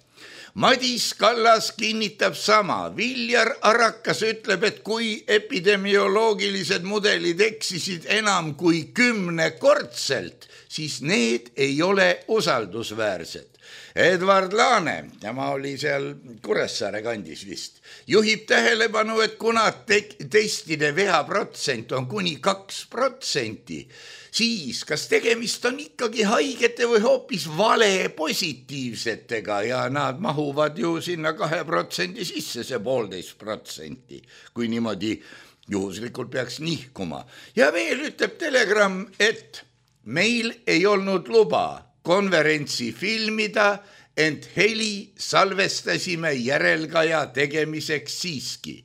Madis Kallas kinnitab sama. Viljar Arakas ütleb, et kui epidemioloogilised mudelid eksisid enam kui 10-kordselt, siis need ei ole usaldusväärsed. Edward Laane, tema oli seal Kuressaare kandis vist, juhib tähelepanu, et kuna testide veaprotsent on kuni 2%, siis kas tegemist on ikkagi haigete või hoopis vale positiivsetega ja nad mahuvad ju sinna 2% sisse, see 1,5%, kui niimoodi juhuslikult peaks nihkuma. Ja veel ütleb Telegram, et meil ei olnud luba konverentsi filmida, ent heli salvestasime järelkaja tegemiseks siiski.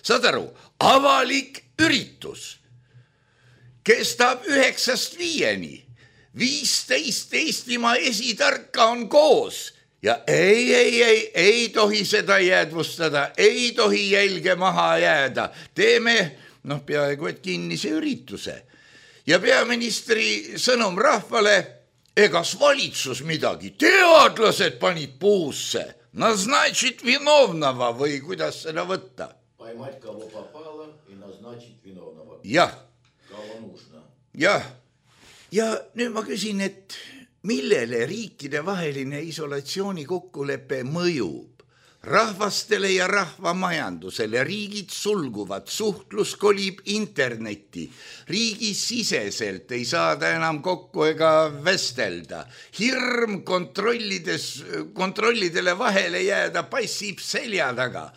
Saad aru, avalik üritus kestab 9-5, 15 Eestimaa esitarka on koos ja ei tohi seda jäädvustada, ei tohi jälge maha jääda. Teeme, peaaegu et kinnise ürituse. Ja peaministri sõnum rahvale, egas valitsus midagi, teadlased panid puusse, назначить виновного või kuidas seda võtta? Поймать кого попало и назначить виновного. Jah. Кого нужно. Jah. Ja nüüd ma küsin, et millele riikide vaheline isolatsiooni kokkulepe mõjub? Rahvastele ja rahvamajandusele riigid sulguvad, suhtlus kolib internetti, riigisiseselt ei saada enam kokku ega vestelda, hirm kontrollidele vahele jääda passib selja taga,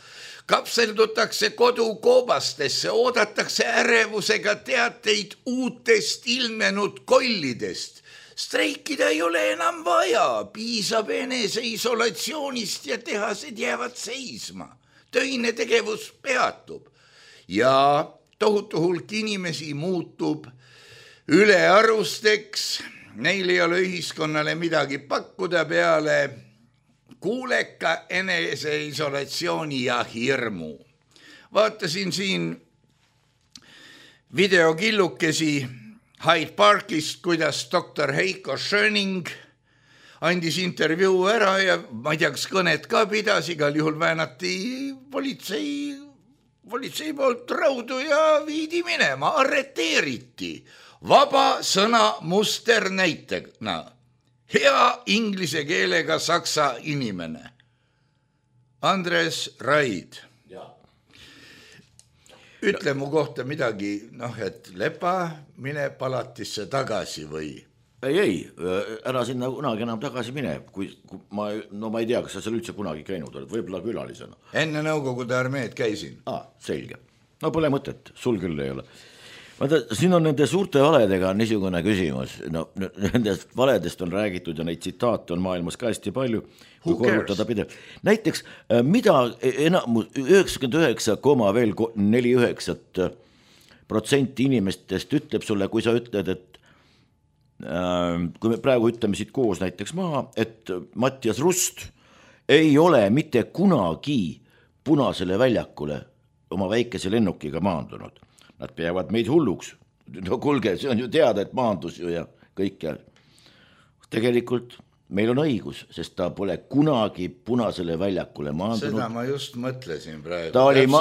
kapseldutakse kodukoobastesse, oodatakse ärevusega teateid uutest ilmenud kollidest. Streikida ei ole enam vaja, piisab eneseisolatsioonist ja tehased jäävad seisma. Töine tegevus peatub ja tohutu hulk inimesi muutub ülearusteks. Neil ei ole ühiskonnale midagi pakkuda peale kuuleka eneseisolatsiooni ja hirmu. Vaatasin siin videokillukesi Hyde Parkist, kuidas doktor Heiko Schöning andis intervjuu ära ja ma ei tea, kas kõnet ka pidas, igal juhul väänati politsei poolt raudu ja viidi minema, arreteeriti. Vaba sõna musternäitena. Hea inglise keelega saksa inimene. Andres Raid. Ütle mu kohta midagi, et lepa, mine palatisse tagasi või? Ei, ära sinna kunagi enam tagasi mine, ma ei tea, kas sa seal üldse kunagi käinud oled, võib-olla külalisena. Enne Nõukogude armeed käisin. Selge. No pole mõtet, sul küll ei ole. Vaata, siin on nende suurte valedega niisugune küsimus. Nendest valedest on räägitud ja neid tsitaate on maailmas ka hästi palju. Näiteks, mida 99,49% inimestest ütleb sulle, kui sa ütled, et kui me praegu ütleme siit koos näiteks maha, et Mattias Rust ei ole mitte kunagi Punasele väljakule oma väikese lennukiga maandunud. Nad peavad meid hulluks. No kuulge, see on ju teada, et maandus ju ja kõik ja tegelikult meil on õigus, sest ta pole kunagi Punasele väljakule maandunud. Seda ma just mõtlesin praegu.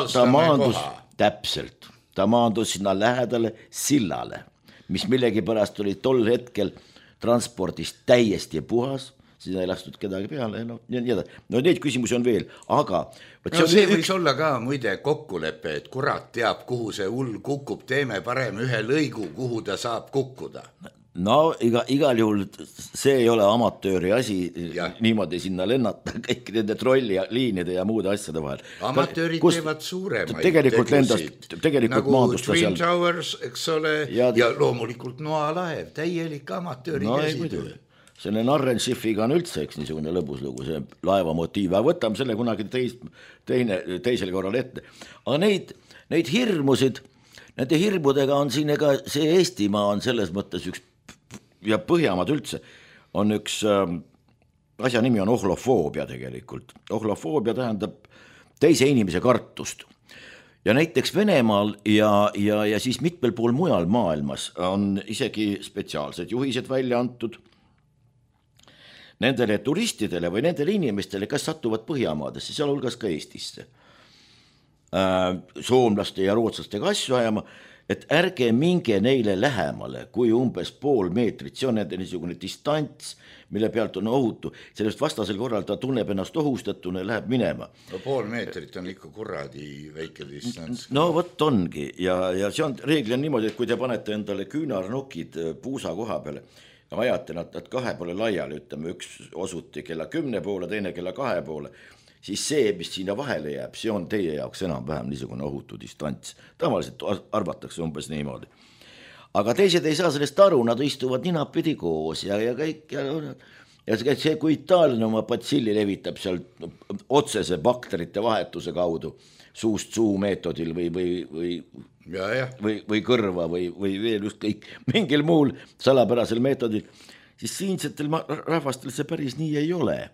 Ta maandus täpselt. Ta maandus sinna lähedale sillale, mis millegi pärast oli tol hetkel transpordist täiesti puhas, sinna ei lastud kedagi peale. No neid küsimusi on veel, aga... see võiks olla ka muide kokkulepe, et kurat teab, kuhu see hull kukub, teeme parem ühe lõigu, kuhu ta saab kukkuda. No igal juhul see ei ole amatööri asi niimoodi sinna lennata kõik nende trolliliinide ja muude asjade vahel. Amatöörid teevad suuremaid tegusid, nagu Twin Towers, eks ole, ja loomulikult Noalaev, täielik amatööri käsitöö. Selle Narrenschiffiga on üldse niisugune lõbuslugu, see laeva motiiv, aga võtame selle kunagi teisel korral ette. Aga neid hirmusid, nende hirmudega on siin ega see Eestimaa on selles mõttes üks ja Põhjamaad üldse on üks asja nimi on ohlofoobia tegelikult. Ohlofoobia tähendab teise inimese kartust. Ja näiteks Venemaal ja siis mitmel pool mujal maailmas on isegi spetsiaalsed juhised välja antud nendele turistidele või nendele inimestele, kes satuvad Põhjamaadesse, seal hulgas ka Eestisse. Soomlaste ja rootslastega asju ajama, et ärge minge neile lähemale kui umbes pool meetrit, see on nende niisugune distants, mille pealt on ohutu, sellest vastasel korral ta tunneb ennast ohustatuna ja läheb minema. No pool meetrit on ikka kuradi väike distants. No vot ongi ja see on reegli on niimoodi, et kui te panete endale küünarnukid puusa koha peale, ajate nad kahe poole laiali, ütleme üks osuti kella 10 poole, teine kella 2 poole, siis see, mis sinna vahele jääb, see on teie jaoks enam-vähem niisugune ohutu distants. Tavaliselt arvatakse umbes niimoodi. Aga teised ei saa sellest aru, nad istuvad ninapidi koos ja kõik ja see, kui Itaalia oma patsilli levitab seal otsese bakterite vahetuse kaudu suust suu meetodil või kõrva või veel just kõik mingil muul salapärasel meetodil, siis siinsetel rahvastel see päris nii ei ole.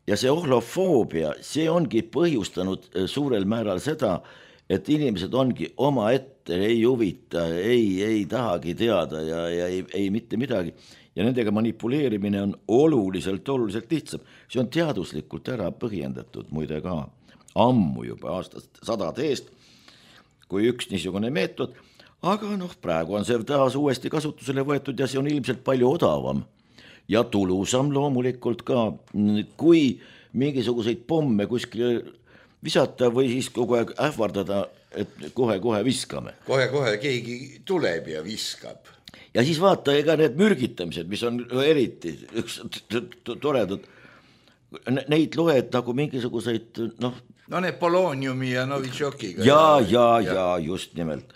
Ja see ohlofoobia, see ongi põhjustanud suurel määral seda, et inimesed ongi oma ette, ei huvita, ei tahagi teada ja ei mitte midagi. Ja nendega manipuleerimine on oluliselt lihtsam. See on teaduslikult ära põhjendatud muide ka ammu juba aastast 100 eest, kui üks niisugune meetod, aga praegu on see taas uuesti kasutusele võetud ja see on ilmselt palju odavam ja tulusam loomulikult ka, kui mingisuguseid pomme kuskile visata või siis kogu aeg ähvardada, et kohe viskame. Kohe keegi tuleb ja viskab. Ja siis vaata, ega need mürgitamised, mis on eriti toredad, neid loed nagu mingisuguseid, No need Poloniumi ja Novitšokiga. Ja, just nimelt.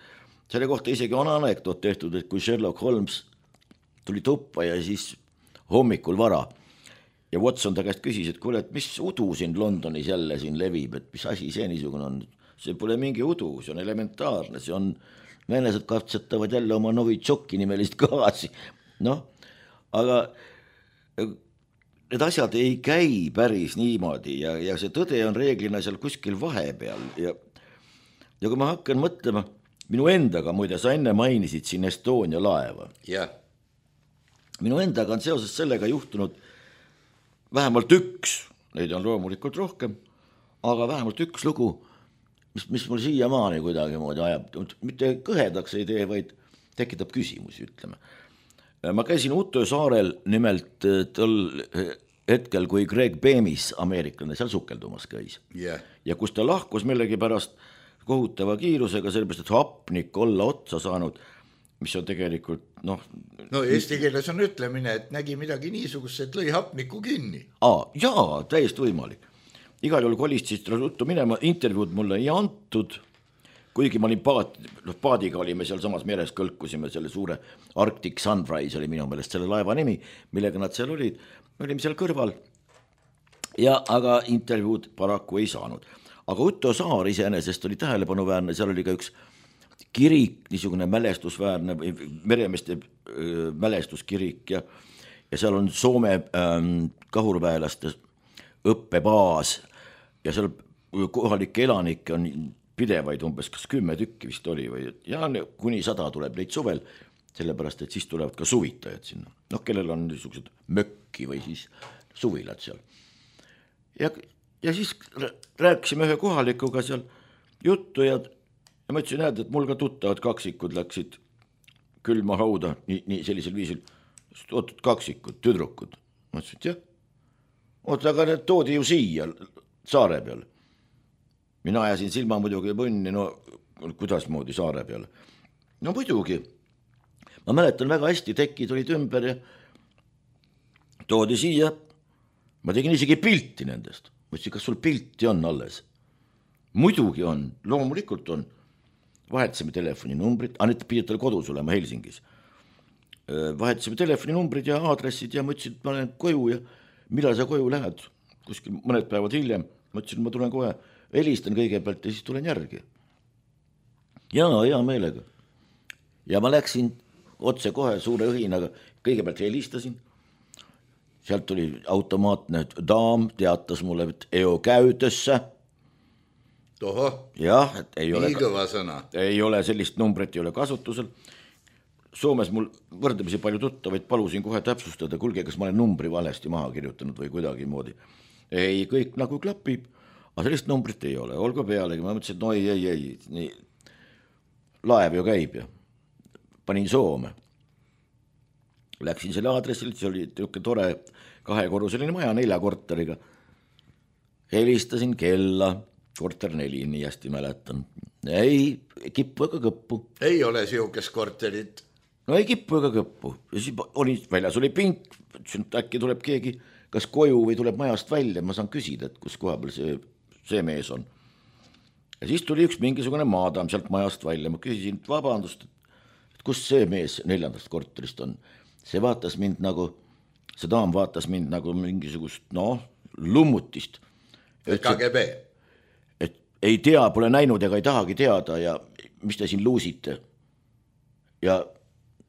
Selle kohta isegi on anekdoot tehtud, et kui Sherlock Holmes tuli tuppa ja siis hommikul vara ja Watson ta käest küsis, et kuule, et mis udu siin Londonis jälle siin levib, et mis asi see niisugune on. See pole mingi udu, see on elementaarne, see on venelased katsetavad jälle oma Novitšoki nimelist gaasi. Aga need asjad ei käi päris niimoodi ja see tõde on reeglina seal kuskil vahepeal ja kui ma hakkan mõtlema, minu endaga, muide, sa enne mainisid siin Estonia laeva. jah. Minu endaga on seoses sellega juhtunud vähemalt üks, neid on loomulikult rohkem, aga vähemalt üks lugu, mis mul siiamaani kuidagi moodi ajab, mitte kõhedaks ei tee, vaid tekitab küsimusi, ütleme. Ma käisin Utö saarel nimelt tol hetkel, kui Greg Bemis, ameeriklane, seal sukeldumas käis. Yeah. Ja kus ta lahkus millegi pärast kohutava kiirusega, sellepärast, et hapnik olla otsa saanud, mis on tegelikult, no eesti keeles on ütlemine, et nägi midagi niisugust, et lõi hapniku kinni. Jaa, täiesti võimalik. Igal juhul kolist siis ruttu minema, intervjuud mulle ei antud, kuigi ma olin paadiga olime seal samas meres, kõlkusime selle suure Arctic Sunrise oli minu meelest selle laeva nimi, millega nad seal olid, me olime seal kõrval ja aga intervjuud paraku ei saanud. Aga Utö saar iseenesest oli tähelepanuväärne, seal oli ka üks kirik, niisugune mälestusväärne, meremeeste mälestuskirik ja seal on Soome kahurväelaste õppebaas ja seal kohalikke elanikke on pidevaid umbes kas 10 tükki vist oli või ja kuni 100 tuleb neid suvel, sellepärast et siis tulevad ka suvitajad sinna, kellel on niisugused mökki või siis suvilad seal. Ja siis rääkisime ühe kohalikuga seal juttu ja ma ütlesin, et mul ka tuttavad kaksikud läksid külma hauda nii sellisel viisil, ootud kaksikud, tüdrukud. Ma ütlesin, et jah, aga need toodi ju siia saare peale. Mina ajasin silma muidugi põnni, kuidas moodi saare peale. No muidugi, ma mäletan väga hästi, tekid olid ümber ja toodi siia, ma tegin isegi pilti nendest. Ma ütlesin, kas sul pilti on alles? Muidugi on, loomulikult on. Vahetasime telefoninumbrid, need pidid tal kodus olema Helsingis. Vahetasime telefoninumbrid ja aadressid ja ma ütlesin, et ma lähen koju ja millal sa koju lähed? Kuskil mõned päevad hiljem. Ma ütlesin, ma tulen kohe, helistan kõigepealt ja siis tulen järgi. Hea meelega. Ja ma läksin otse kohe suure õhinaga, kõigepealt helistasin. Sealt tuli automaatne daam, teatas mulle, et eo käytössä. Toho, jah, et ei ole, kõva sõna. Ei ole sellist numbrit, ei ole kasutusel. Soomes mul võrdlemisi palju tuttavaid, palusin kohe täpsustada, kulge, kas ma olen numbri valesti maha kirjutanud või kuidagi moodi. Ei, kõik nagu klapib, aga sellist numbrit ei ole, olgu pealegi. Ma mõtlesin, et ei, nii. Laev ju käib ja panin Soome. Läksin selle aadressil, see oli tore 2-korruseline maja 4 korteriga. Helistasin kella. Korter 4, nii hästi mäletan. Ei kippu ega kõppu. Ei ole siukest korterit. No ei kippu ega kõppu. Ja siis väljas oli pink, äkki tuleb keegi kas koju või tuleb majast välja. Ma saan küsida, et kus koha peal see mees on. Ja siis tuli üks mingisugune maadam sealt majast välja. Ma küsisin, vabandust, et kus see mees 4. korterist on. See daam vaatas mind nagu mingisugust, lummutist. KGB. Ei tea, pole näinud ega ei tahagi teada ja mis te siin luusite. Ja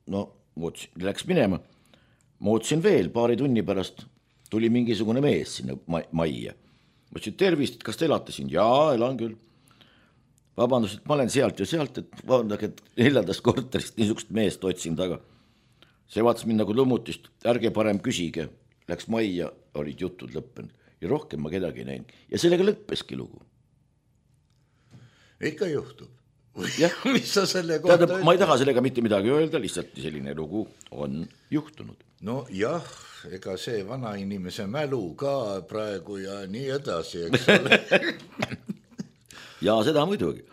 läks minema. Ma ootasin veel, paari tunni pärast tuli mingisugune mees sinna majja. Ma ütlesin, tervist, et kas te elate siin? Jaa, elan küll. Vabandust, et ma olen sealt ja sealt, et vaadake, et 4. korterist niisugust meest otsin taga. See vaatas mind nagu lummutist, ärge parem küsige. Läks majja, olid jutud lõppenud ja rohkem ma kedagi ei näinud. Ja sellega lõppeski lugu. Ikka juhtub. Mis sa selle kohta ütled? Ma ei taha sellega mitte midagi öelda, lihtsalt selline lugu on juhtunud. No jah, ega see vana inimese mälu ka praegu ja nii edasi, eks ole. Ja seda muidugi.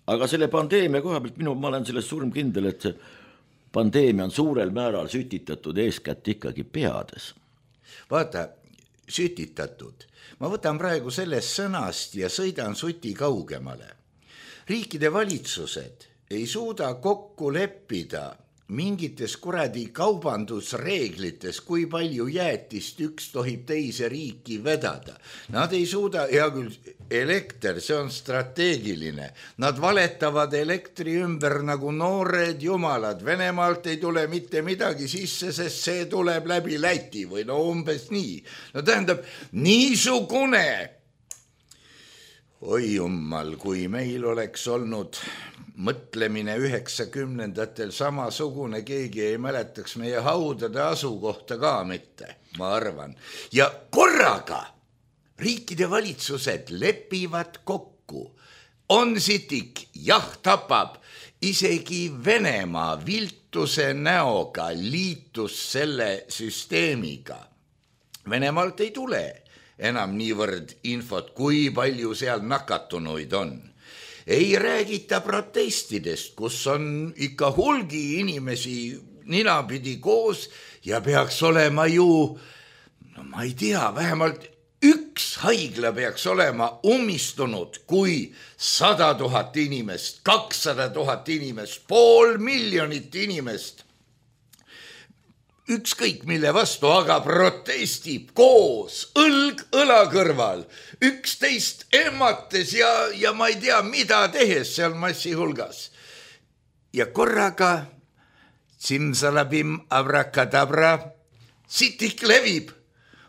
Aga selle pandeemia koha pealt ma olen sellest suurem kindel, et see pandeemia on suurel määral sütitatud eeskätt ikkagi peades. Vaata, sütitatud. Ma võtan praegu sellest sõnast ja sõidan suti kaugemale. Riikide valitsused ei suuda kokku leppida mingites kuradi kaubandusreeglites, kui palju jäätist üks tohib teise riiki vedada. Nad ei suuda, hea küll, elekter, see on strateegiline. Nad valetavad elektri ümber nagu noored jumalad. Venemaalt ei tule mitte midagi sisse, sest see tuleb läbi Läti või umbes nii. Tähendab, niisugune. Oi jummal, kui meil oleks olnud mõtlemine 90-ndatel samasugune, keegi ei mäletaks meie haudade asukohta ka mitte, ma arvan. Ja korraga riikide valitsused lepivad kokku. On sitik, jah tapab, isegi Venemaa viltuse näoga liitus selle süsteemiga. Venemaalt ei tule enam niivõrd infot, kui palju seal nakatunuid on. Ei räägita protestidest, kus on ikka hulgi inimesi ninapidi koos ja peaks olema ju, no ma ei tea, vähemalt üks haigla peaks olema ummistunud, kui 100 000 inimest, 200 000 inimest, 500 000 inimest, ükskõik mille vastu, aga protestib koos, õlg õla kõrval, üksteist emmates ja ma ei tea, mida tehes seal massi hulgas. Ja korraga, simsalabim abrakadabra, sitik levib,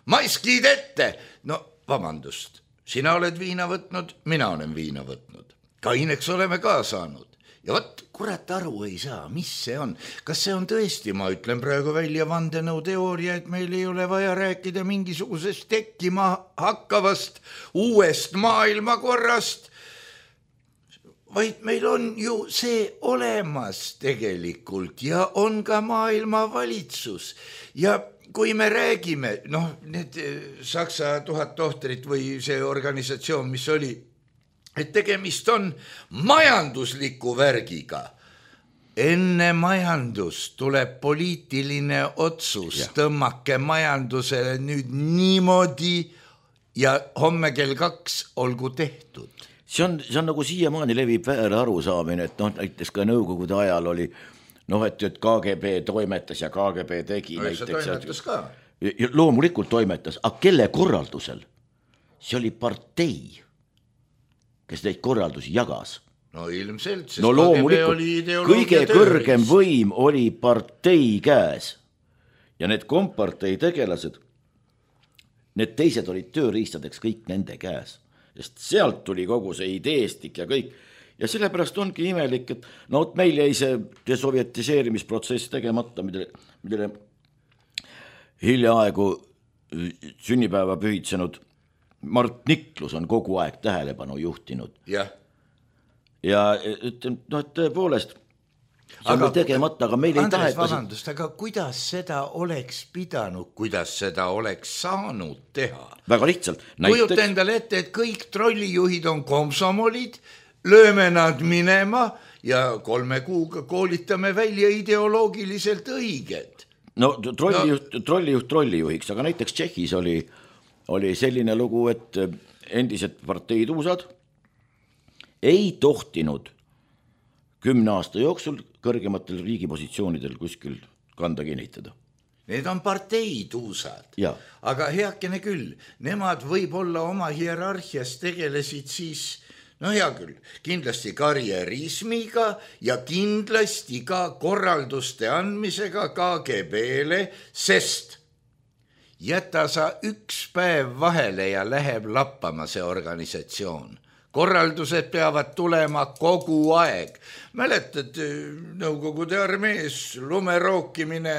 maskid ette. No vabandust, sina oled viina võtnud, mina olen viina võtnud. Kaineks oleme ka saanud. Ja võt, kurat aru ei saa, mis see on. Kas see on tõesti, ma ütlen praegu välja vandenõu teooria, et meil ei ole vaja rääkida mingisugusest tekkima hakkavast uuest maailmakorrast, vaid meil on ju see olemas tegelikult ja on ka maailmavalitsus. Ja kui me räägime, need Saksa 1000 tohtrit või see organisatsioon, mis oli, et tegemist on majandusliku värgiga. Enne majandust tuleb poliitiline otsus, tõmmake majandusele nüüd niimoodi ja homme kell 2 olgu tehtud. See on nagu siiamaani levib väär arusaamine, et näiteks ka nõukogude ajal oli, et KGB toimetas ja KGB tegi. See toimetas ka. Loomulikult toimetas, aga kelle korraldusel? See oli partei, kes neid korraldusi jagas. No ilmselt, sest loomulikult, kõige kõrgem võim oli partei käes ja need kompartei tegelased, need teised olid tööriistadeks kõik nende käes, sest sealt tuli kogu see ideestik ja kõik. Ja sellepärast ongi imelik, et meil jäi see desovjetiseerimisprotsess tegemata, millele hiljaaegu sünnipäeva pühitsenud Mart Niklus on kogu aeg tähelepanu juhtinud. Ja ütlen, et tõepoolest, see on tegemata, aga meil ei taheta. Vabandust, aga kuidas seda oleks pidanud, kuidas seda oleks saanud teha? Väga lihtsalt. Kujuta endale ette, et kõik trollijuhid on komsomolid, lööme nad minema ja 3 kuuga koolitame välja ideoloogiliselt õiged. Trollijuht trollijuhiks, aga näiteks Tšehhis oli selline lugu, et endised parteituusad ei tohtinud 10 aasta jooksul kõrgematel riigipositsioonidel kuskil kanda kinnitada. Need on parteituusad, aga heakene küll, nemad võib-olla oma hierarhias tegelesid siis, hea küll, kindlasti karjärismiga ja kindlasti ka korralduste andmisega KGB-le, sest jäta sa üks päev vahele ja läheb lappama see organisatsioon. Korraldused peavad tulema kogu aeg. Mäletad, Nõukogude armees lumerookimine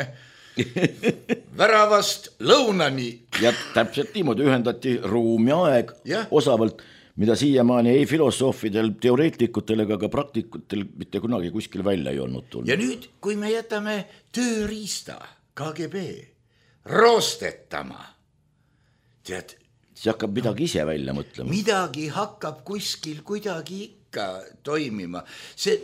väravast lõunani. Ja täpselt niimoodi ühendati ruum ja aeg osavalt, mida siiamaani ei filosoofidel, teoreetikutel ega ka praktikutel mitte kunagi kuskil välja ei olnud tulnud. Ja nüüd, kui me jätame tööriista KGB roostetama, tead, see hakkab midagi ise välja mõtlema. Midagi hakkab kuskil kuidagi ikka toimima. See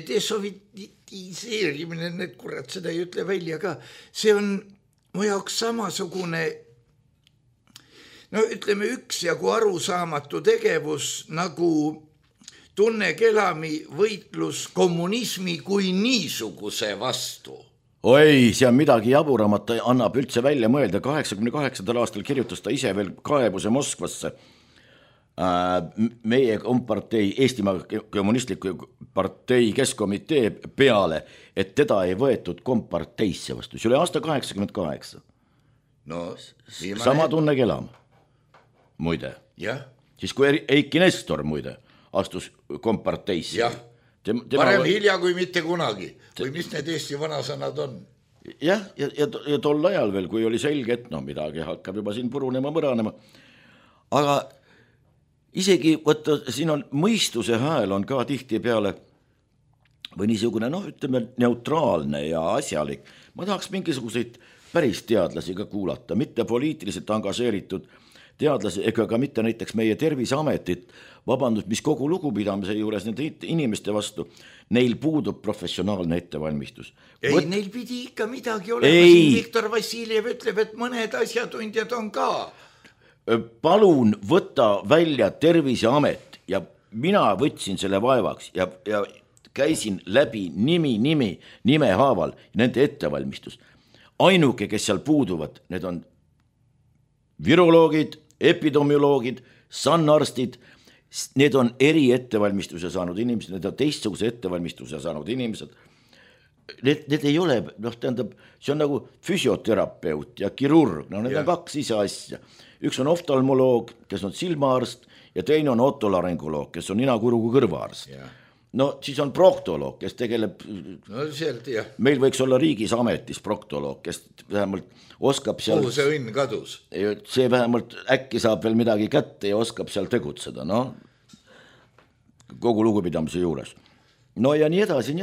desovjetiseerimine, need kurat seda ei ütle välja ka, see on mu jaoks samasugune, ütleme üksjagu arusaamatu tegevus nagu Tunne Kelami võitlus kommunismi kui niisuguse vastu. Oi, see on midagi jaburamat, annab üldse välja mõelda. 88. aastal kirjutas ta ise veel kaebuse Moskvasse meie kompartei, Eestimaa kommunistliku partei keskkomitee peale, et teda ei võetud komparteisse vastu. See oli aasta 88. Sama Tunne Kelam, muide. Siis kui Eiki Nestor, muide, astus komparteisse. Varem hilja kui mitte kunagi. Või mis need Eesti vanasõnad on? Jah, ja tol ajal veel, kui oli selge, et no midagi hakkab juba siin purunema, mõranema. Aga isegi, võtta, siin on mõistuse hääl on ka tihti peale või niisugune, ütleme, neutraalne ja asjalik. Ma tahaks mingisuguseid päris teadlasi ka kuulata, mitte poliitiliselt engažeeritud teadlasi, ega ka mitte näiteks meie Terviseametit, vabandust, mis kogu lugupidamise juures nende inimeste vastu, neil puudub professionaalne ettevalmistus. Neil pidi ikka midagi olema, siin Viktor Vassiljev ütleb, et mõned asjatundjad on ka. Palun võtta välja Terviseamet ja mina võtsin selle vaevaks ja käisin läbi nime haaval nende ettevalmistus. Ainuke, kes seal puuduvad, need on viroloogid, epidemioloogid, sannarstid, need on eri ettevalmistuse saanud inimesed, need on teistsuguse ettevalmistuse saanud inimesed. Need ei ole, tähendab, see on nagu füsioterapeut ja kirurg, need on kaks ise asja. Üks on oftalmoloog, kes on silmaarst ja teine on otolaryngoloog, kes on nina-kurgu kõrvaarst. Siis on proktoloog, kes tegeleb, meil võiks olla riigis ametis proktoloog, kes vähemalt oskab seal, kuhu see õnn kadus? See vähemalt äkki saab veel midagi kätte ja oskab seal tegutseda, kogu lugupidamise juures. Ja nii edasi.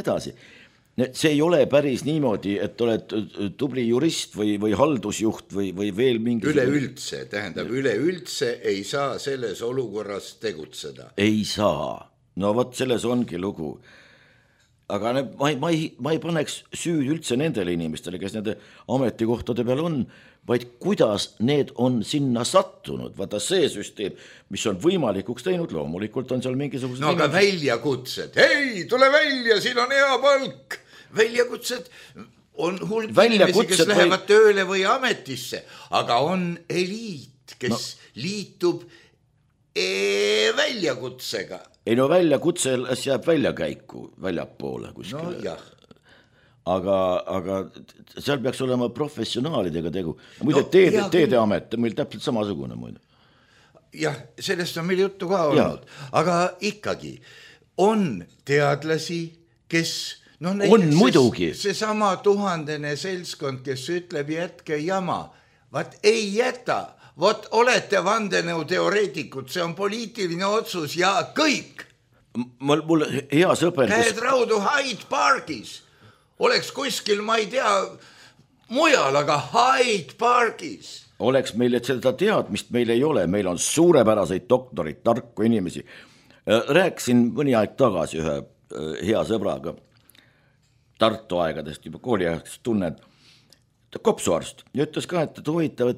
See ei ole päris niimoodi, et oled tubli jurist või haldusjuht või veel mingi... Üleüldse ei saa selles olukorras tegutseda. Ei saa. Vot selles ongi lugu. Aga ma ei paneks süüd üldse nendele inimestele, kes nende ametikohtade peal on, vaid kuidas need on sinna sattunud. Vaata see süsteem, mis on võimalikuks teinud, loomulikult on seal mingisugused... aga väljakutsed, hei, tule välja, siin on hea palk. Väljakutsed on hulk inimesi, kes lähevad tööle või ametisse, aga on eliit, kes liitub väljakutsega. Ei väljakutse jääb väljakäiku väljapoole kuskile. Aga seal peaks olema professionaalidega tegu. Muide, teedeamet, meil täpselt samasugune muide. Jah, sellest on meil juttu ka olnud. Aga ikkagi on teadlasi, kes... on muidugi. See sama 1000 seltskond, kes ütleb jätke jama, vaat ei jäta. Vot olete vandenõuteoreetikud, see on poliitiline otsus ja kõik. Mul hea sõber... Käed raudu Hyde Parkis. Oleks kuskil, ma ei tea, mujal, aga Hyde Parkis. Oleks meil, et seda teadmist meil ei ole. Meil on suurepäraseid doktorid, tarku inimesi. Rääkisin mõni aeg tagasi ühe hea sõbraga Tartu aegadest, juba kooliaegast tunnen, kopsuarst. Ja ütles ka, et huvitav,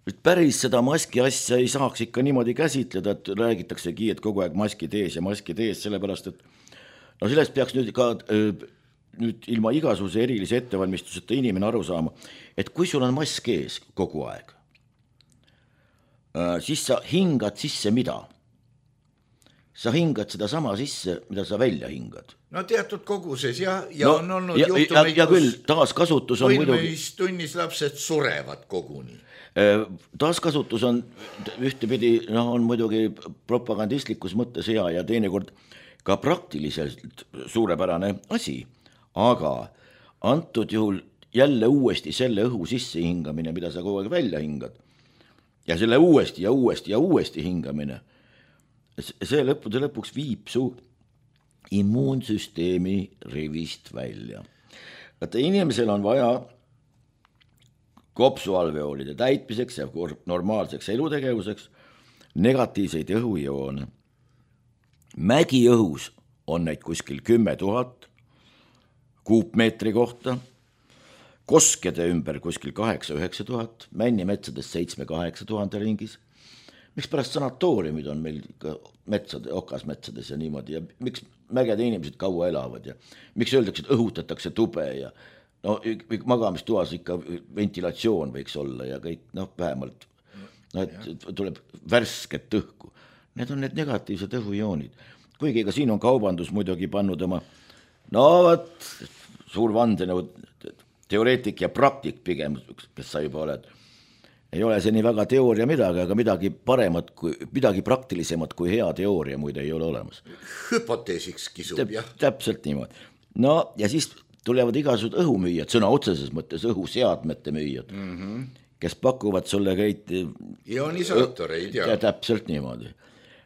et päris seda maski asja ei saaks ikka niimoodi käsitleda, et räägitaksegi, et kogu aeg maskid ees, sellepärast, et sellest peaks nüüd ka nüüd ilma igasuguse erilise ettevalmistuseta inimene aru saama, et kui sul on mask ees kogu aeg, siis sa hingad sisse mida? Sa hingad seda sama sisse, mida sa välja hingad. Teatud koguses ja on olnud juhtumeid, ja küll, taaskasutus on muidugi... tunnis lapsed surevad koguni. Taaskasutus on ühtepidi, on muidugi propagandistlikus mõttes hea ja teinekord ka praktiliselt suurepärane asi, aga antud juhul jälle uuesti selle õhu sisse hingamine, mida sa kogu aeg välja hingad ja selle uuesti hingamine, see lõppude lõpuks viib su immuunsüsteemi rivist välja. Vaata, inimesel on vaja kopsualveoolide täitmiseks ja normaalseks elutegevuseks negatiivseid õhujoone. Mägiõhus on neid kuskil 10 000 kuupmeetri kohta, koskede ümber kuskil 8-9 000, männimetsades 7-8 000 ringis. Miks pärast sanatooriumid on meil metsade, okasmetsades ja niimoodi ja miks mägede inimesed kaua elavad ja miks öeldakse, et õhutatakse tube ja magamistuas ikka ventilatsioon võiks olla ja kõik, vähemalt et tuleb värsket õhku. Need on need negatiivsed õhujoonid. Kuigi ka siin on kaubandus muidugi pannud oma, suur vandenõu teoreetik ja praktik pigem, kes sa juba oled, ei ole see nii väga teooria midagi, aga midagi praktilisemat kui hea teooria muide ei ole olemas. Hüpoteesiks kisub, jah. Täpselt niimoodi. No ja siis tulevad igasugused õhumüüjad, sõna otseses mõttes õhuseadmete müüjad, kes pakuvad sulle kõik ionisaatoreid, jah. Täpselt niimoodi.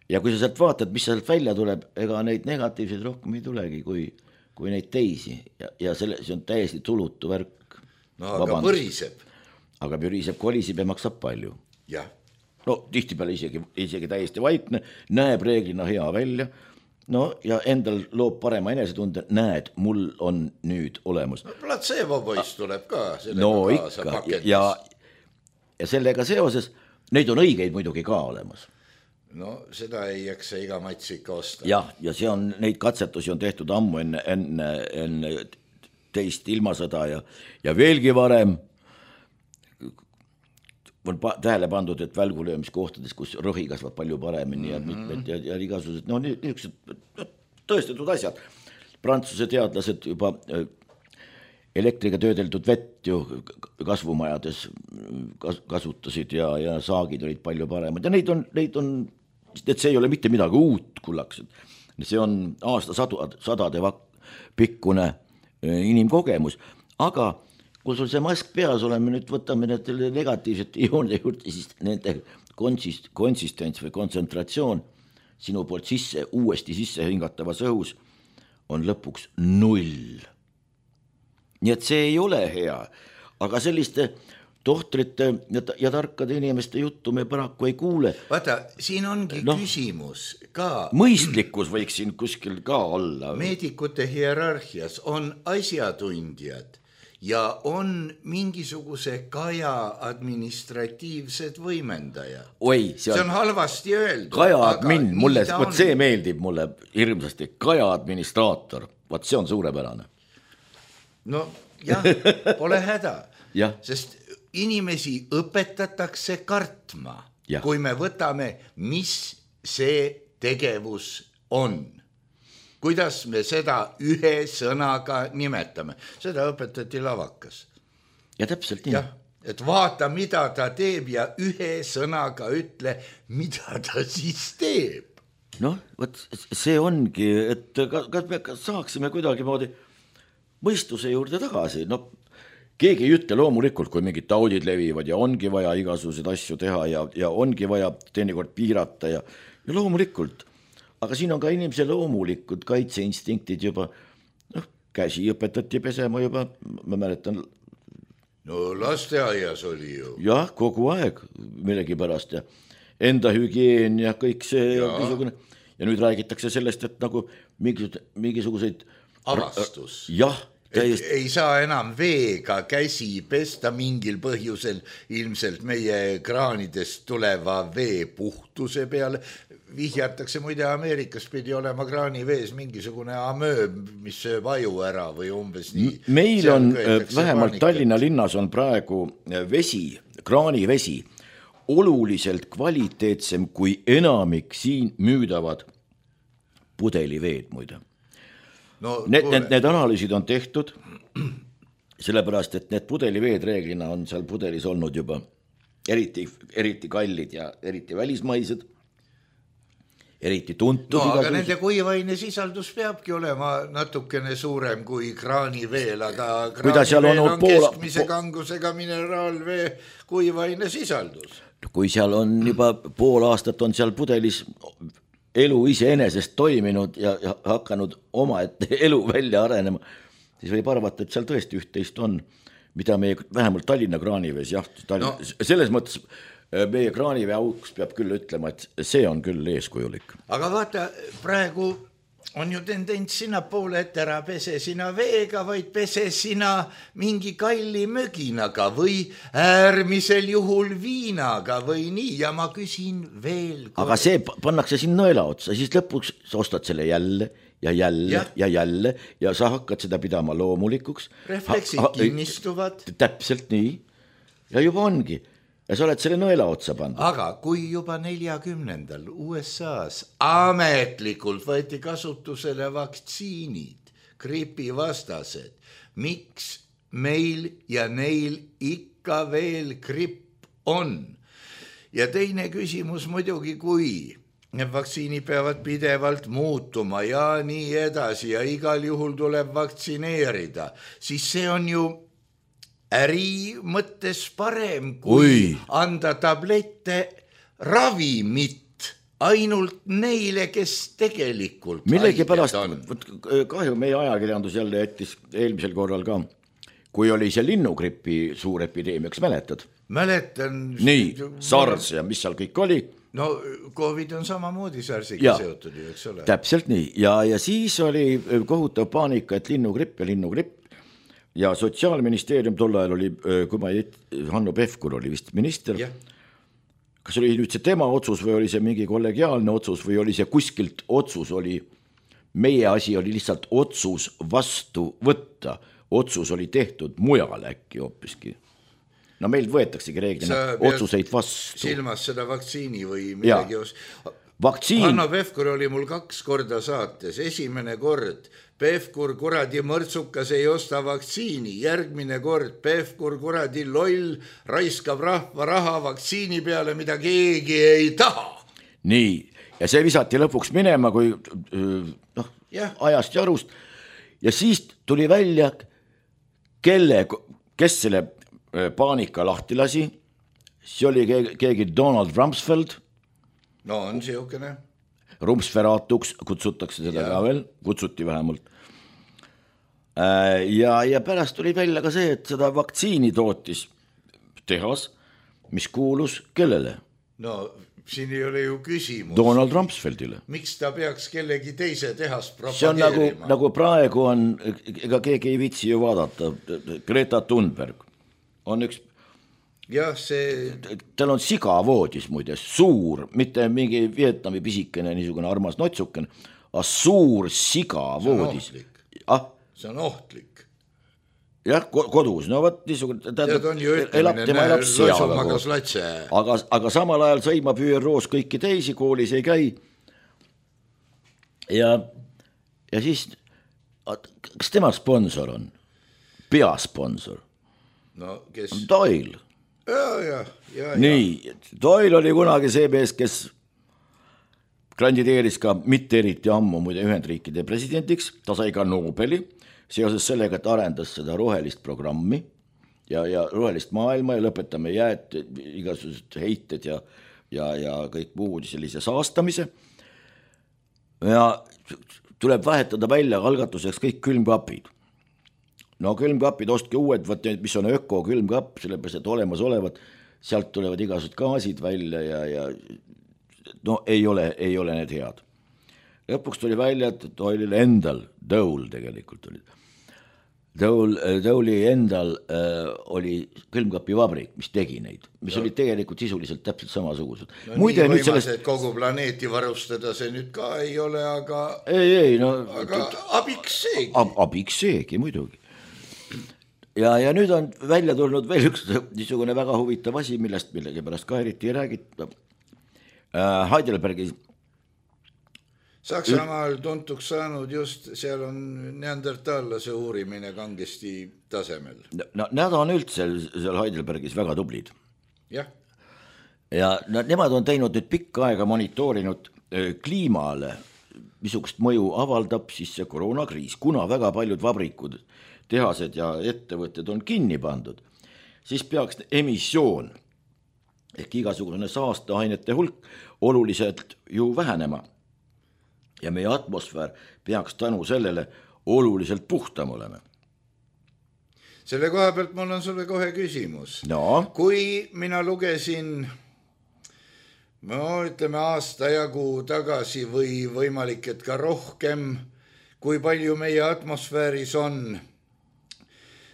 Ja kui sa sealt vaatad, mis sealt välja tuleb, ega neid negatiivseid rohkem ei tulegi kui neid teisi ja see on täiesti tulutu värk. No aga põriseb. Aga põriseb, kolisib ja maksab palju. Jah. No tihtipeale isegi täiesti vaikne, näeb reeglina hea välja, no ja endal loob parema enesetunde, näed, mul on nüüd olemas. No, placebo poiss tuleb ka. No ikka ja sellega seoses, neid on õigeid muidugi ka olemas. No seda ei jaksa iga mats ikka osta. Jah, ja see on, neid katsetusi on tehtud ammu enne teist ilmasõda ja veelgi varem on tähele pandud, et välgulöömiskohtades, kus rohi kasvab palju paremini ja mitmed ja igasugused, no niisugused tõestatud asjad. Prantsuse teadlased juba elektriga töödeldud vett ju kasvumajades kasutasid ja saagid olid palju paremad ja neid on, et see ei ole mitte midagi uut, kullaksed. See on aastasadade pikkune inimkogemus, aga kui sul see mask peas oleme, nüüd võtame need negatiivsed ioonide juurde, siis nende konsistents või kontsentratsioon sinu poolt uuesti sisse hingatavas õhus on lõpuks 0. Nii et see ei ole hea, aga selliste tohtrite ja tarkade inimeste juttu me paraku ei kuule. Vaata, siin ongi küsimus ka. Mõistlikkus võiks siin kuskil ka olla. Meedikute hierarhias on asjatundjad ja on mingisuguse kaja administratiivsed võimendajad. Oi, see on halvasti öeldud. Kaja admin, see meeldib mulle hirmsasti. Kaja administraator, see on suurepärane. No jah, pole häda, sest inimesi õpetatakse kartma, kui me võtame, mis see tegevus on. Kuidas me seda ühe sõnaga nimetame. Seda õpetati lavakas. Ja täpselt nii. Et vaata, mida ta teeb ja ühe sõnaga ütle, mida ta siis teeb. Noh, see ongi, et kas saaksime kuidagi moodi mõistuse juurde tagasi. No, keegi ei ütle loomulikult, kui mingid taudid levivad ja ongi vaja igasuguseid asju teha ja ongi vaja teinekord piirata ja loomulikult. Aga siin on ka inimese loomulikud kaitseinstiktid juba, käsi õpetati pesema juba, ma mäletan. No lasteaias oli ju. Jah, kogu aeg millegi pärast ja enda hügieen ja kõik see ja nüüd räägitakse sellest, et nagu mingisuguseid avastus. Ei saa enam veega käsi pesta mingil põhjusel ilmselt meie kraanidest tuleva vee puhtuse peale. Vihjatakse muide Ameerikas pidi olema kraanivees mingisugune amööb, mis sööb aju ära või umbes nii. Meil on vähemalt Tallinna linnas on praegu vesi, kraanivesi oluliselt kvaliteetsem kui enamik siin müüdavad pudeliveed muide. No, need analüüsid on tehtud, sellepärast, et need pudeliveed reeglina on seal pudelis olnud juba eriti kallid ja eriti välismaised, eriti tuntud. No, aga nende kuivaine sisaldus peabki olema natukene suurem kui kraaniveel, aga kraaniveel on keskmise kangusega mineraalvee kuivaine sisaldus. Kui seal on juba pool aastat on seal pudelis elu iseenesest toiminud ja hakanud oma elu välja arenema, siis võib arvata, et seal tõesti üht-teist on, mida meie vähemalt Tallinna kraanivees, selles mõttes meie kraanivee auks peab küll ütlema, et see on küll eeskujulik. Aga vaata, praegu on ju tendents sinna poole, et ära pese sina veega, vaid pese sina mingi kalli möginaga või äärmisel juhul viinaga või nii, ja ma küsin veel. Aga see pannakse siin nõela otsa, siis lõpuks sa ostad selle jälle ja jälle ja sa hakkad seda pidama loomulikuks. Refleksid kinnistuvad. Täpselt nii ja juba ongi. Ja sa oled selle nõela otsa pandud. Aga kui juba 40. USA's ametlikult võeti kasutusele vaktsiinid, gripivastased, miks meil ja neil ikka veel gripp on. Ja teine küsimus muidugi, kui need vaktsiinid peavad pidevalt muutuma ja nii edasi ja igal juhul tuleb vaktsineerida, siis see on ju äri mõttes parem, kui anda tablette ravimit ainult neile, kes tegelikult millegipärast on. Kahju meie ajakirjandus jälle jättis eelmisel korral ka, kui oli see linnugripi suur epideemia, kas mäletad? Mäletan. Nii, SARS ja mis seal kõik oli. No COVID on samamoodi SARSiga seotud ju, eks ole. Täpselt nii ja siis oli kohutav paanika, et linnugripp ja Sotsiaalministeerium tol ajal oli, kui ma Hanno Pevkur oli vist minister. Kas oli nüüd see tema otsus või oli see mingi kollegiaalne otsus või oli see kuskilt otsus oli, meie asi oli lihtsalt otsus vastu võtta, otsus oli tehtud mujal äkki hoopiski. No meil võetaksegi reeglina otsuseid vastu. Silmas seda vaktsiini või midagi vaktsiin. Hanno Pevkur oli mul 2 korda saates, esimene kord Pevkur kuradi mõrtsukas ei osta vaktsiini, järgmine kord Pevkur kuradi loll raiskab rahva raha vaktsiini peale, mida keegi ei taha. Nii, ja see visati lõpuks minema, kui ajast ja arust ja siis tuli välja, kes selle paanika lahti lasi, see oli keegi Donald Rumsfeld. No on siukene. Rumsferaatuks kutsutakse seda ka veel, kutsuti vähemalt. Ja pärast tuli välja ka see, et seda vaktsiini tootis tehas, mis kuulus kellele? No siin ei ole ju küsimus. Donald Rumsfeldile. Miks ta peaks kellegi teise tehas propageerima? See on nagu praegu on, ega keegi ei viitsi ju vaadata, Greta Thunberg on üks. Jah, see. Tal on sigavoodis muide, suur, mitte mingi Vietnami pisikene niisugune armas notsuken, aga suur sigavoodis. See on ohtlik. Jah, kodus, no võt niisugune, elab seaga, aga samal ajal sõimab ÜROs kõiki teisi, koolis ei käi. Ja siis, kas tema sponsor on? Peasponsor? No, kes? Doyle. Ja. Nii, Doyle oli kunagi see mees, kes kandideeris ka mitte eriti ammu muide Ühendriikide presidendiks, ta sai ka Nobeli seoses sellega, et arendas seda rohelist programmi ja rohelist maailma ja lõpetame jääd, igasugused heited ja kõik muud sellise saastamise. Ja tuleb vahetada välja algatuseks kõik külmkapid. No külmkapid, ostke uued, mis on öko külmkapp, sellepärast, et olemas olevad, sealt tulevad igasugused gaasid välja ja no ei ole need head. Lõpuks tuli välja, et Doyle'il endal, Dole tegelikult oli. Dole'i endal oli külmkapivabrik, mis tegi neid, mis oli tegelikult sisuliselt täpselt samasugused. No muide, nii võimas, et kogu planeeti varustada see nüüd ka ei ole, aga aga abiks seegi. Abiks seegi, muidugi. Ja nüüd on välja tulnud veel üks niisugune väga huvitav asi, millest millegi pärast ka eriti ei räägita. Heidelbergis. Saksamaal tuntuks saanud just, seal on neandertallase uurimine kangesti tasemel. No, nad on üldse seal Heidelbergis väga tublid. Jah. Ja nemad on teinud nüüd pikka aega monitoorinud kliimale, missugust mõju avaldab siis see koroonakriis, kuna väga paljud vabrikud, tehased ja ettevõtted on kinni pandud, siis peaks emissioon ehk igasugune saasteainete hulk oluliselt ju vähenema. Ja meie atmosfäär peaks tänu sellele oluliselt puhtam olema. Selle koha pealt mul on sulle kohe küsimus. No. Kui mina lugesin, ütleme aasta jagu tagasi või võimalik, et ka rohkem, kui palju meie atmosfääris on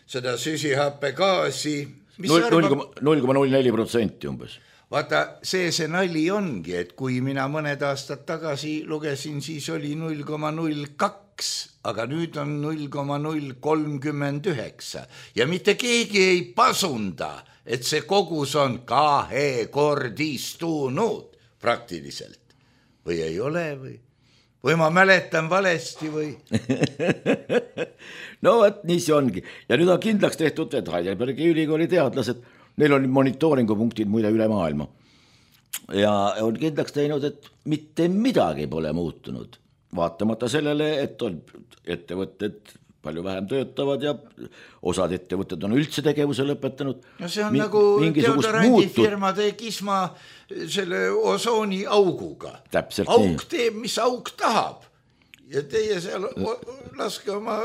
seda süsihappegaasi. 0,04% umbes. Vaata, see nali ongi, et kui mina mõned aastad tagasi lugesin, siis oli 0,02, aga nüüd on 0,039 ja mitte keegi ei pasunda, et see kogus on kahekordistunud praktiliselt. Või ei ole või ma mäletan valesti või? No võt, nii see ongi. Ja nüüd on kindlaks tehtud, et Heidelbergi ülikooli teadlased neil on monitooringupunktid muide üle maailma ja on kindlaks teinud, et mitte midagi pole muutunud, vaatamata sellele, et on ettevõtted palju vähem töötavad ja osad ettevõtted on üldse tegevuse lõpetanud. No see on nagu deodorandifirmade kisma selle osooni auguga. Täpselt auk nii. teeb, mis auk tahab ja teie seal laske oma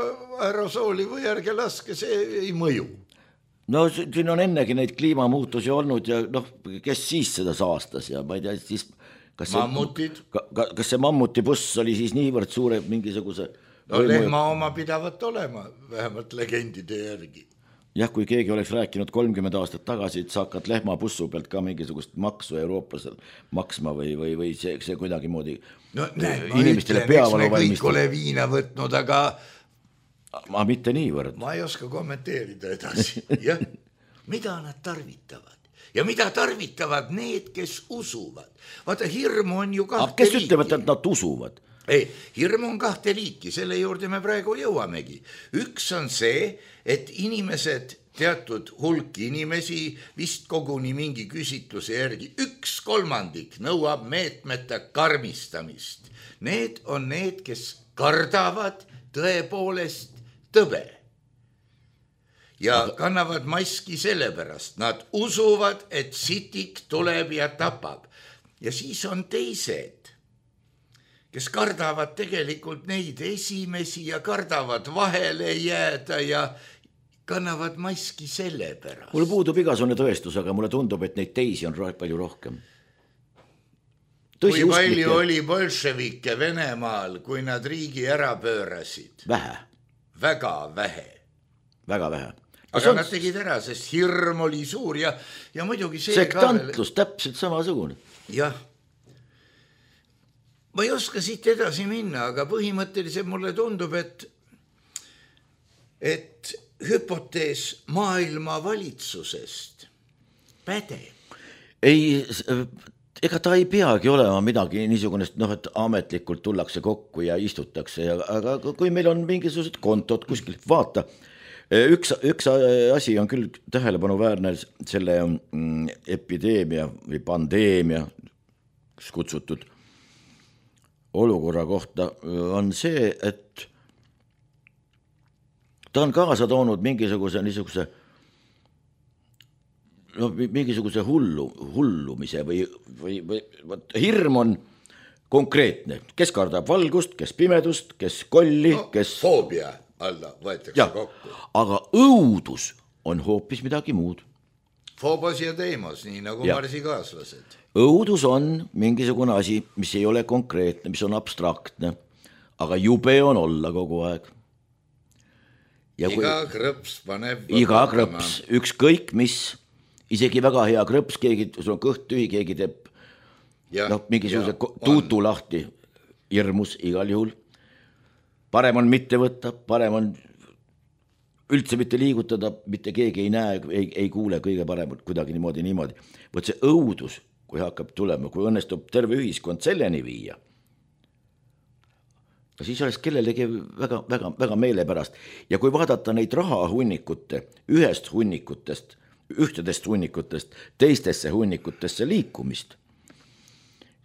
aerosooli või ärge laske, see ei mõju. No siin on ennegi neid kliimamuutusi olnud ja kes siis seda saastas ja ma ei tea, siis kas see mammutibuss oli siis niivõrd suure mingisuguse lehma oma pidavat olema, vähemalt legendide järgi. Jah, kui keegi oleks rääkinud 30 aastat tagasi, et sa hakkad lehmabussu pealt ka mingisugust maksu Euroopas maksma või see kuidagi moodi inimestele peavalu valmistab. Me kõik ole viina võtnud, aga ma mitte niivõrd. Ma ei oska kommenteerida edasi. Jah, mida nad tarvitavad ja mida tarvitavad need, kes usuvad. Vaata, hirmu on ju kahte liiki. Kes ütlevad, et nad usuvad? Ei, hirm on kahte liiki, selle juurde me praegu jõuamegi. Üks on see, et inimesed, teatud hulk inimesi, vist koguni mingi küsitluse järgi, 1/3 nõuab meetmete karmistamist. Need on need, kes kardavad tõepoolest tõbe ja kannavad maski sellepärast. Nad usuvad, et sitik tuleb ja tapab. Ja siis on teised, kes kardavad tegelikult neid esimesi ja kardavad vahele jääda ja kannavad maski selle pärast. Mul puudub igasugune tõestus, aga mulle tundub, et neid teisi on palju rohkem. Kui palju oli bolševikke Venemaal, kui nad riigi ära pöörasid? Vähe. Väga vähe. Väga vähe. Aga nad tegid ära, sest hirm oli suur ja muidugi see sektantlus täpselt samasugune. Jah. Ma ei oska siit edasi minna, aga põhimõtteliselt mulle tundub, et hüpotees maailma valitsusest pädeb. Ei, ega ta ei peagi olema midagi niisugust, et ametlikult tullakse kokku ja istutakse, aga kui meil on mingisugused kontod kuskil, vaata, üks asi on küll tähelepanuväärne selle epideemia või pandeemia kutsutud olukorra kohta on see, et ta on kaasa toonud mingisuguse hullumise või hirm on konkreetne, kes kardab valgust, kes pimedust, kes kolli, kes foobia alla võetakse kokku. Aga õudus on hoopis midagi muud. Foobos ja teemos, nii nagu marsikaaslased. Õudus on mingisugune asi, mis ei ole konkreetne, mis on abstraktne, aga jube on olla kogu aeg. Iga krõps paneb iga krõps, ükskõik mis, isegi väga hea krõps, sul on kõht tühi, keegi teeb mingisuguse tuutu lahti, hirmus igal juhul. Parem on mitte võtta, parem on üldse mitte liigutada, mitte keegi ei näe, ei kuule kõige parem kuidagi niimoodi. Võt see õudus, kui hakkab tulema, kui õnnestub terve ühiskond selleni viia, siis oleks kellelegi väga meelepärast. Ja kui vaadata neid rahahunnikute, ühtedest hunnikutest teistesse hunnikutesse liikumist,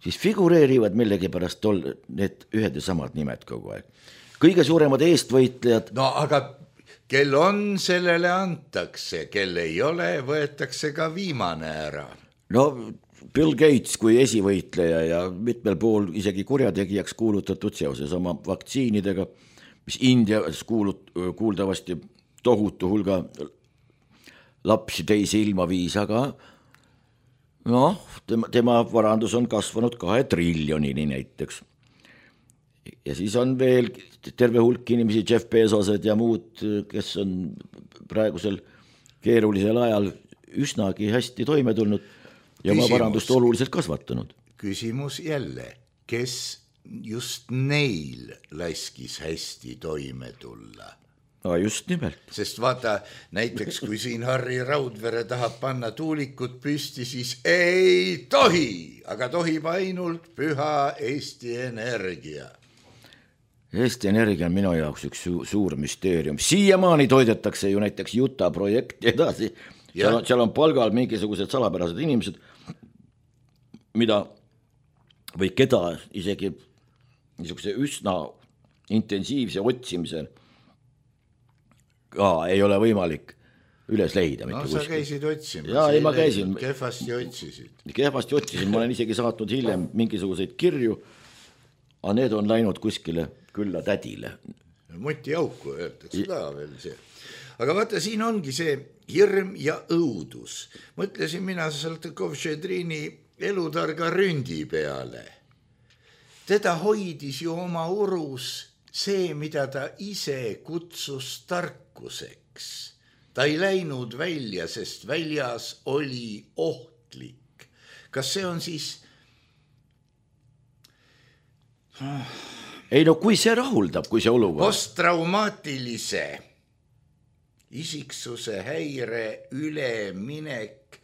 siis figureerivad millegi pärast need ühed ja samad nimed kogu aeg. Kõige suuremad eestvõitlejad. No aga kel on, sellele antakse, kel ei ole, võetakse ka viimane ära. No Bill Gates kui esivõitleja ja mitmel pool isegi kurjategijaks kuulutatud seoses oma vaktsiinidega, mis Indias kuuldavasti tohutu hulga lapsi teisi ilma viis, aga tema varandus on kasvanud 2 triljonini näiteks. Ja siis on veel terve hulk inimesi, Jeff Bezosed ja muud, kes on praegusel keerulisel ajal üsnagi hästi toime tulnud ja oma varandust oluliselt kasvatanud. Küsimus jälle, kes just neil laskis hästi toime tulla? Just nimelt. Sest vaata, näiteks kui siin Harri Raudvere tahab panna tuulikut püsti, siis ei tohi, aga tohib ainult püha Eesti Energia. Eesti Energia on minu jaoks üks suur müsteerium. Siiamaani toidetakse ju näiteks Juta projekti edasi seal on palgal mingisugused salapärased inimesed, mida või keda isegi niisuguse üsna intensiivse otsimisel ka ei ole võimalik üles leida. No sa käisid otsimas. Jaa, ei ma käisin. Kehvasti otsisid. Kehvasti otsisin, ma olen isegi saatnud hiljem mingisuguseid kirju, aga need on läinud kuskile külla tädile. Mutiauku öeldakse ka veel see. Aga vaata, siin ongi see hirm ja õudus. Mõtlesin mina Saltõkov-Šedrini elutarga ründi peale. Teda hoidis ju oma urus see, mida ta ise kutsus tarkuseks. Ta ei läinud välja, sest väljas oli ohtlik. Kas see on siis... Ei no kui see rahuldab, kui see olukord... Posttraumaatilise isiksuse häire üleminek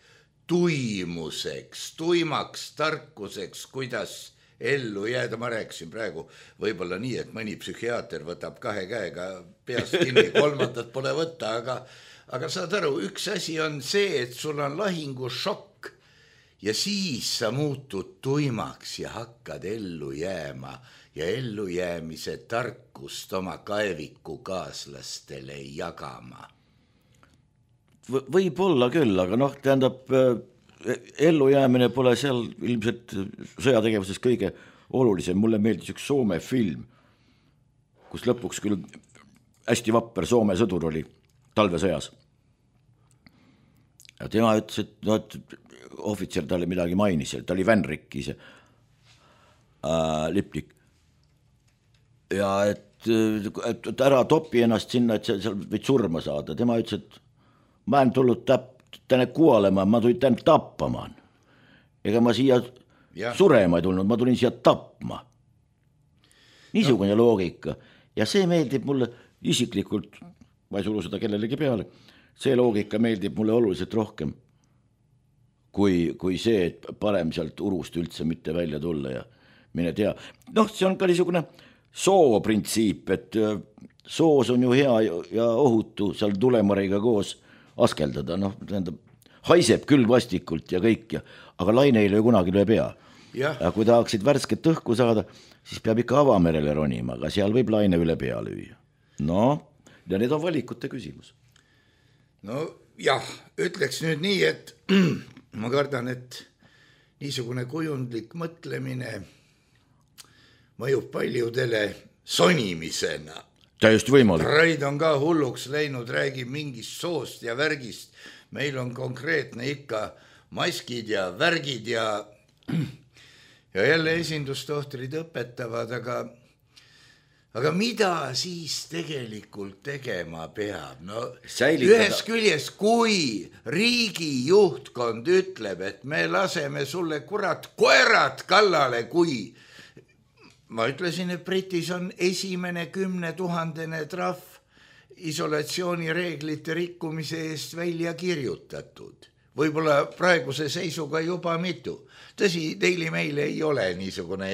tuimuseks, tuimaks tarkuseks, kuidas ellu jääda. Ma rääkisin praegu võib-olla nii, et mõni psühhiaater võtab 2 käega peast kinni, 3. pole võtta, aga saad aru, üks asi on see, et sul on lahingušokk ja siis sa muutud tuimaks ja hakkad ellu jääma ja ellujäämise tarkust oma kaeviku kaaslastele jagama. Võib-olla küll, aga noh, tähendab, ellujäämine pole seal ilmselt sõjategevuses kõige olulisem. Mulle meeldis üks Soome film, kus lõpuks küll hästi vapper Soome sõdur oli talvesõjas. Ja tema ütles, et ohvitser talle midagi mainis, ta oli Vänrikki see liplik. Ja et ära topi ennast sinna, et seal võid surma saada. Tema ütles, et ma olen tulnud tänne kuolema, ma tulin tänne tappama. Ega ma siia surema ei tulnud, ma tulin siia tapma. Niisugune loogika. Ja see meeldib mulle isiklikult, ma ei suru seda kellelegi peale, see loogika meeldib mulle oluliselt rohkem kui see, et parem sealt urust üldse mitte välja tulla ja mine tea. Noh, see on ka niisugune sooprintsiip, et soos on ju hea ja ohutu seal tulemariga koos askeldada, noh, tähendab, haiseb küll vastikult ja kõik, aga laine ei löö kunagi löö pea. Ja kui tahaksid värsket õhku saada, siis peab ikka avamerele ronima, aga seal võib laine üle pea lüüa. No, ja need on valikute küsimus. No jah, ütleks nüüd nii, et ma kardan, et niisugune kujundlik mõtlemine mõjub paljudele sonimisena. Täiesti võimalik. Raid on ka hulluks läinud, räägib mingist soost ja värgist. Meil on konkreetne ikka maskid ja värgid ja jälle esindustohtrid õpetavad, aga mida siis tegelikult tegema peab? No, ühes küljes, kui riigi juhtkond ütleb, et me laseme sulle kurat koerad kallale, kui ma ütlesin, et Britis on esimene 10 000 trahv isolatsioonireeglite rikkumise eest välja kirjutatud. Võib-olla praeguse seisuga juba mitu. Tõsi, Daily Mail ei ole niisugune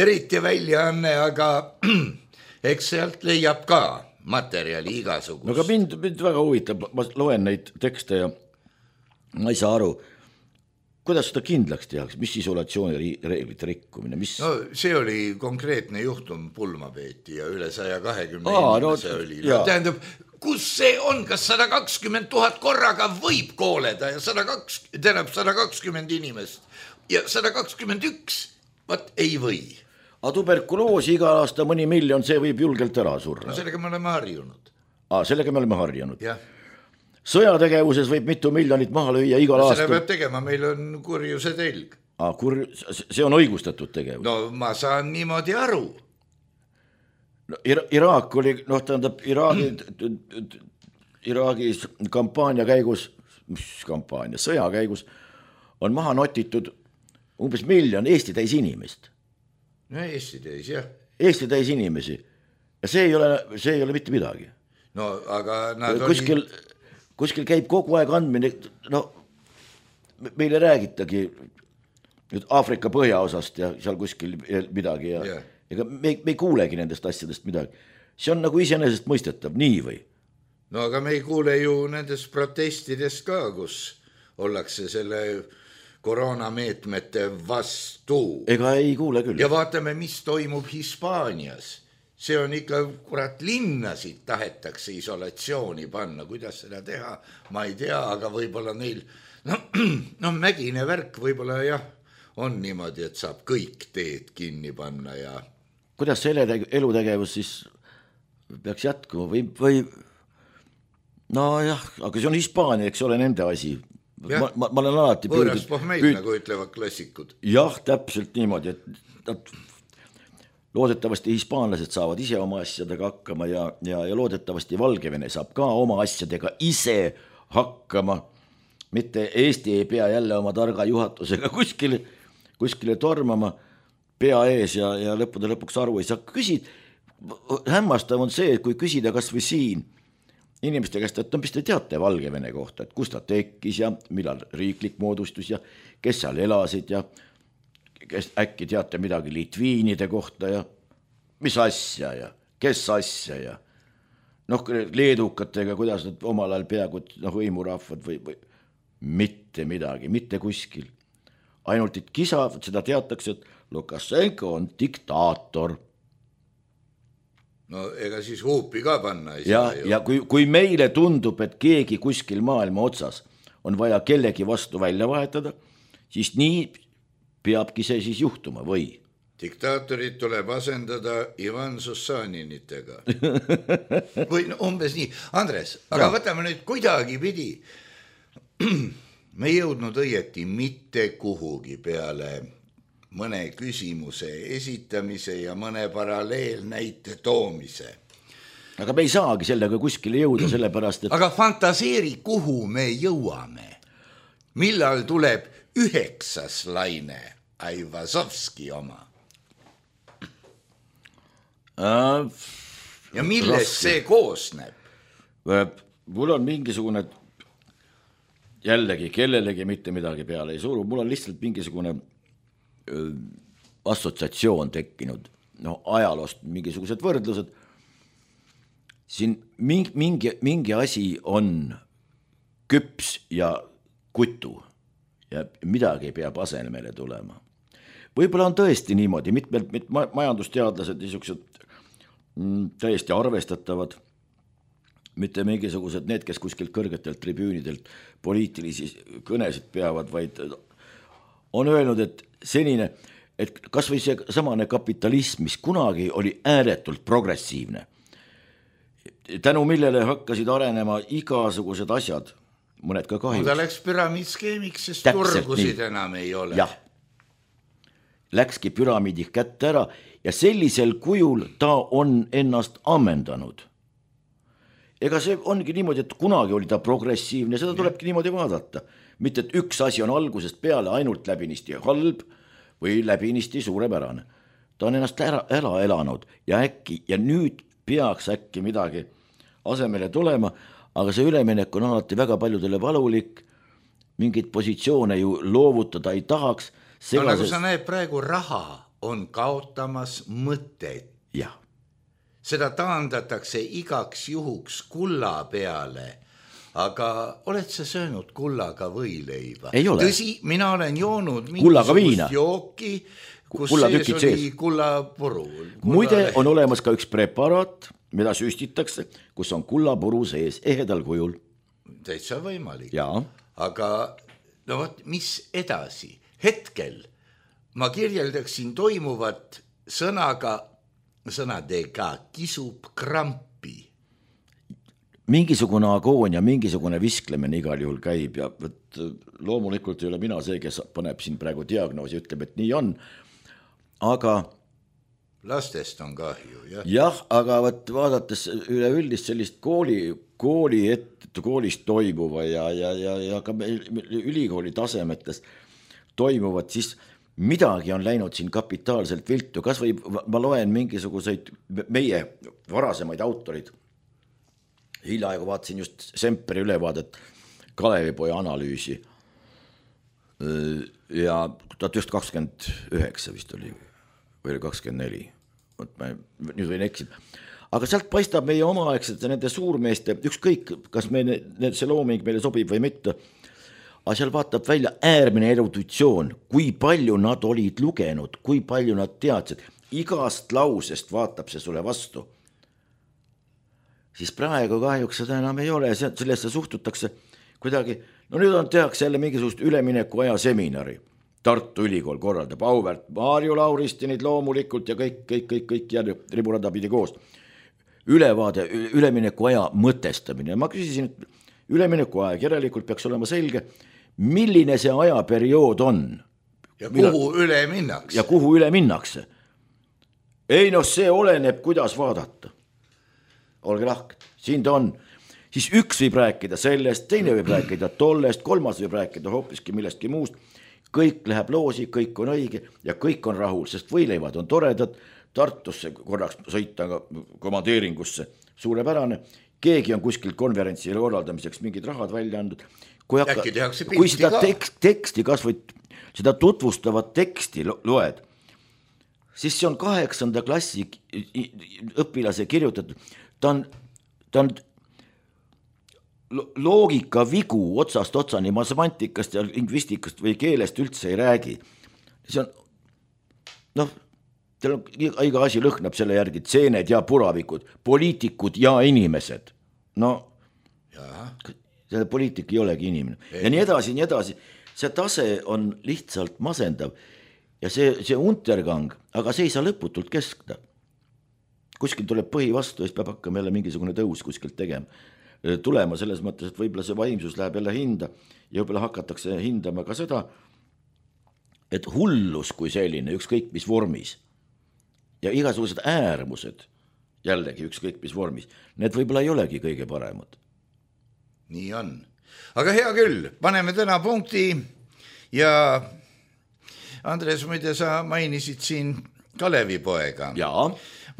eriti väljaanne, aga eks sealt leiab ka materjali igasugust. No aga mind väga huvitab, ma loen neid tekste ja ma ei saa aru, kuidas seda kindlaks tehakse, mis isolatsioonireeglite rikkumine? No see oli konkreetne juhtum, pulma peeti ja üle 120 inimese oli. Tähendab, kus see on, kas 120 000 korraga võib kooleda ja 120 inimest ja 121, vaat ei või. Aga tuberkuloosi iga aasta mõni miljon, see võib julgelt ära surra. No sellega me oleme harjunud. Sellega me oleme harjunud. Jah. Sõjategevuses võib mitu miljonit maha lüüa igal aastal. Selle peab tegema, meil on kurjuse telg. See on õigustatud tegevus. No ma saan niimoodi aru. No, Iraak oli, tähendab, Iraagis kampaania käigus, sõja käigus on maha notitud umbes 1 miljon Eesti täis inimest. No Eesti täis, jah. Eesti täis inimesi. Ja see ei ole mitte midagi. No aga nad kuskil käib kogu aeg andmine, meile räägitagi nüüd Aafrika põhjaosast ja seal kuskil midagi ja ega me ei kuulegi nendest asjadest midagi. See on nagu iseenesest mõistetav, nii või? no aga me ei kuule ju nendest protestidest ka, kus ollakse selle koroonameetmete vastu. Ega ei kuule küll. Ja vaatame, mis toimub Hispaanias. See on ikka, kurat, linnasid tahetakse isolatsiooni panna. Kuidas seda teha, ma ei tea, aga võib-olla neil, no mägine värk võib-olla jah, on niimoodi, et saab kõik teed kinni panna ja... Kuidas see elutegevus siis peaks jätkuma või no jah, aga see on Hispaania, eks ole nende asi. Ma olen alati võõras pohmeid, nagu ütlevad klassikud. Jah, täpselt niimoodi, et loodetavasti hispaanlased saavad ise oma asjadega hakkama ja loodetavasti Valgevene saab ka oma asjadega ise hakkama. Mitte Eesti ei pea jälle oma targa juhatusega kuskile tormama pea ees ja lõppude lõpuks aru ei saa. Hämmastav on see, et kui küsida kas või siin inimeste käest, et mis te teate Valgevene kohta, et kus ta tekkis ja millal riiklik moodustus ja kes seal elasid ja kes äkki teate midagi litviinide kohta ja mis asja ja kes asja ja leedukatega, kuidas nad omal ajal peaaegu võimurahvad või mitte midagi, mitte kuskil. Ainult et kisa, seda teatakse, et Lukašenko on diktaator. No ega siis huupi ka panna ei saa ju. Ja kui meile tundub, et keegi kuskil maailma otsas on vaja kellegi vastu välja vahetada, siis nii peabki see siis juhtuma või? Diktaatorid tuleb asendada Ivan Sussaninitega. Või umbes nii. Andres, aga võtame nüüd kuidagi pidi. Me ei jõudnud õieti mitte kuhugi peale mõne küsimuse esitamise ja mõne paralleelnäite toomise. Aga me ei saagi sellega kuskile jõuda, sellepärast, et... Aga fantaseeri, kuhu me jõuame. Millal tuleb 9. laine Aivazovski oma? Ja millest see koosneb? Mul on mingisugune... Jällegi, kellelegi mitte midagi peale ei suru. Mul on lihtsalt mingisugune assotsiatsioon tekkinud. Ajaloost mingisugused võrdlused. Siin mingi asi on küps ja kutu ja midagi peab asemele tulema. Võib-olla on tõesti niimoodi, mitmed majandusteadlased niisugused täiesti arvestatavad, mitte mingisugused need, kes kuskilt kõrgetelt tribüünidelt poliitilisi kõnesid peavad, vaid on öelnud, et senine, et kas või see samane kapitalism, mis kunagi oli ääretult progressiivne, tänu millele hakkasid arenema igasugused asjad, mõned ka kahjuks. Ta läks püramiidskeemiks, sest turgusid enam ei ole. Jah, läkski püramiidi kätte ära ja sellisel kujul ta on ennast ammendanud. Ega see ongi niimoodi, et kunagi oli ta progressiivne, seda tulebki niimoodi vaadata. Mitte, et üks asi on algusest peale ainult läbinisti halb või läbinisti suurepärane. Ta on ennast ära elanud ja nüüd peaks äkki midagi asemele tulema, aga see üleminek on alati väga paljudele valulik, mingeid positsioone ju loovutada ei tahaks. No nagu sa näed, praegu raha on kaotamas mõtteid. Jah. Seda taandatakse igaks juhuks kulla peale, aga oled sa söönud kullaga võileiba? Ei ole. Tõsi, mina olen joonud mingisugust jooki, kus sees oli kullapuru. Muide on olemas ka üks preparaat, mida süstitakse, kus on kullapuru sees ehedal kujul. Täitsa võimalik. Jaa. Aga no võt, mis edasi? Hetkel ma kirjeldaksin toimuvat sõnadega kisub krampi. Mingisugune agoonia, mingisugune visklemine igal juhul käib ja loomulikult ei ole mina see, kes paneb siin praegu diagnoosi ja ütleb, et nii on, aga lastest on kahju, jah. Jah, aga vaadates üleüldist sellist koolist toimuva ja ka ülikooli tasemetes toimuvat, siis midagi on läinud siin kapitaalselt viltu, kas või ma loen mingisuguseid meie varasemaid autorid. Hiljaaegu vaatasin just Semperi ülevaadet Kalevipoja analüüsi ja 1929 vist oli või 24. Nüüd võin eksida. aga sealt paistab meie omaaegsete nende suurmeeste, ükskõik, kas see looming meile sobib või mitte, aga seal vaatab välja äärmine eruditsioon, kui palju nad olid lugenud, kui palju nad teadsid, igast lausest vaatab see sulle vastu. Siis praegu kahjuks seda enam ei ole, sellesse suhtutakse kuidagi, no nüüd tehakse jälle mingisugust ülemineku aja seminari. Tartu Ülikool korraldab auväärt Maarju Lauristinid loomulikult ja kõik jälle riburada pidi koos. Ülevaade, ülemineku aja mõtestamine. Ma küsisin, et ülemineku aeg järelikult peaks olema selge, milline see ajaperiood on. Ja kuhu üle minnakse. Ja kuhu üle minnakse. Ei see oleneb, kuidas vaadata. Olge lahked, siin ta on. Siis üks võib rääkida sellest, teine võib rääkida tollest, kolmas võib rääkida hoopiski millestki muust. Kõik läheb loosi, kõik on õige ja kõik on rahul, sest võileivad on toredad, Tartusse korraks sõita komandeeringusse suurepärane, keegi on kuskil konverentsile korraldamiseks mingid rahad välja andnud. Kui seda teksti, kas või seda tutvustavat teksti loed, siis see on 8. klassi õpilase kirjutatud, ta on loogika vigu otsast otsani, ma semantikast ja lingvistikast või keelest üldse ei räägi. See on, teil on iga asi lõhnab selle järgi, tseened ja puravikud, poliitikud ja inimesed. See poliitik ei olegi inimene. Ja nii edasi. See tase on lihtsalt masendav ja see untergang, aga see ei saa lõputult keskda. Kuskil tuleb põhi vastu, siis peab hakkama jälle mingisugune tõus kuskilt tulema selles mõttes, et võib-olla see vaimsus läheb jälle hinda ja võib-olla hakatakse hindama ka seda, et hullus kui selline, ükskõik mis vormis ja igasugused äärmused jällegi ükskõik mis vormis, need võib-olla ei olegi kõige paremad. Nii on. Aga hea küll, paneme täna punkti ja Andres, muide sa mainisid siin Kalevipoega. Jaa.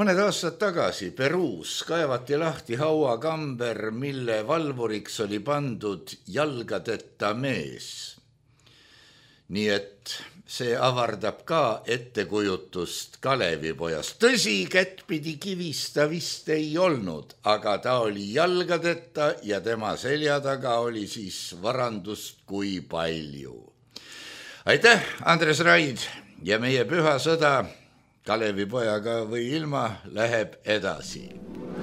Mõned aastad tagasi Peruus kaevati lahti hauakamber, mille valvuriks oli pandud jalgadeta mees. Nii et see avardab ka ettekujutust Kalevipojast. Tõsi, kättpidi kivista vist ei olnud, aga ta oli jalgadeta ja tema selja taga oli siis varandust kui palju. Aitäh, Andres Raid, ja meie püha sõda Kalevipojaga või ilma läheb edasi. Ooh.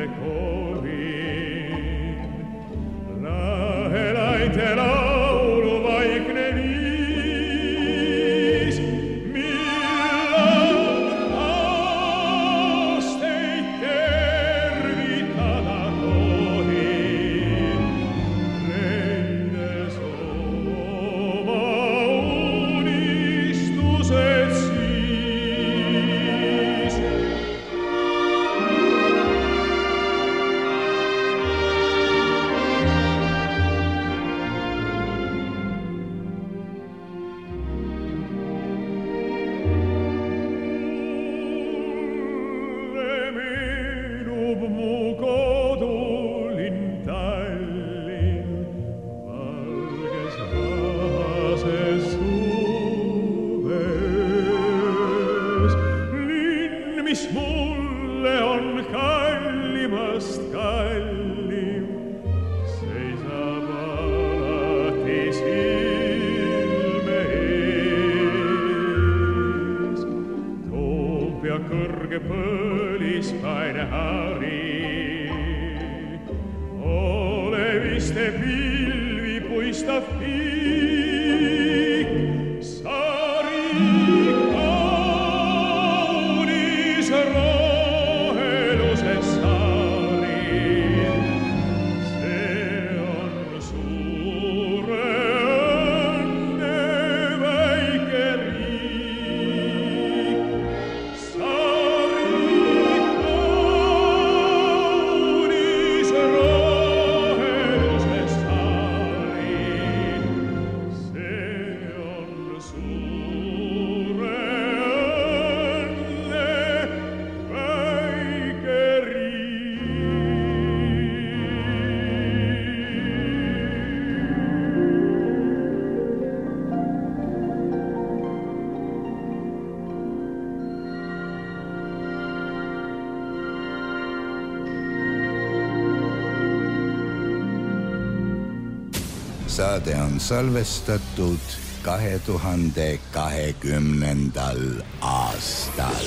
sulle korin. Lahelainte laulu vaikne viis, millan aasteid tervitada tohin, leides oma unistused siis. Mis mulle on kallimast kallim, seisab alati silme ees. Toompea kõrge põlispaine hari, oleviste pilvi puistav piik, sari roheluses saari. See on suure õnne väike riik. Saari kaunis roheluses saari. See on suure Saade on salvestatud 2020. aastal.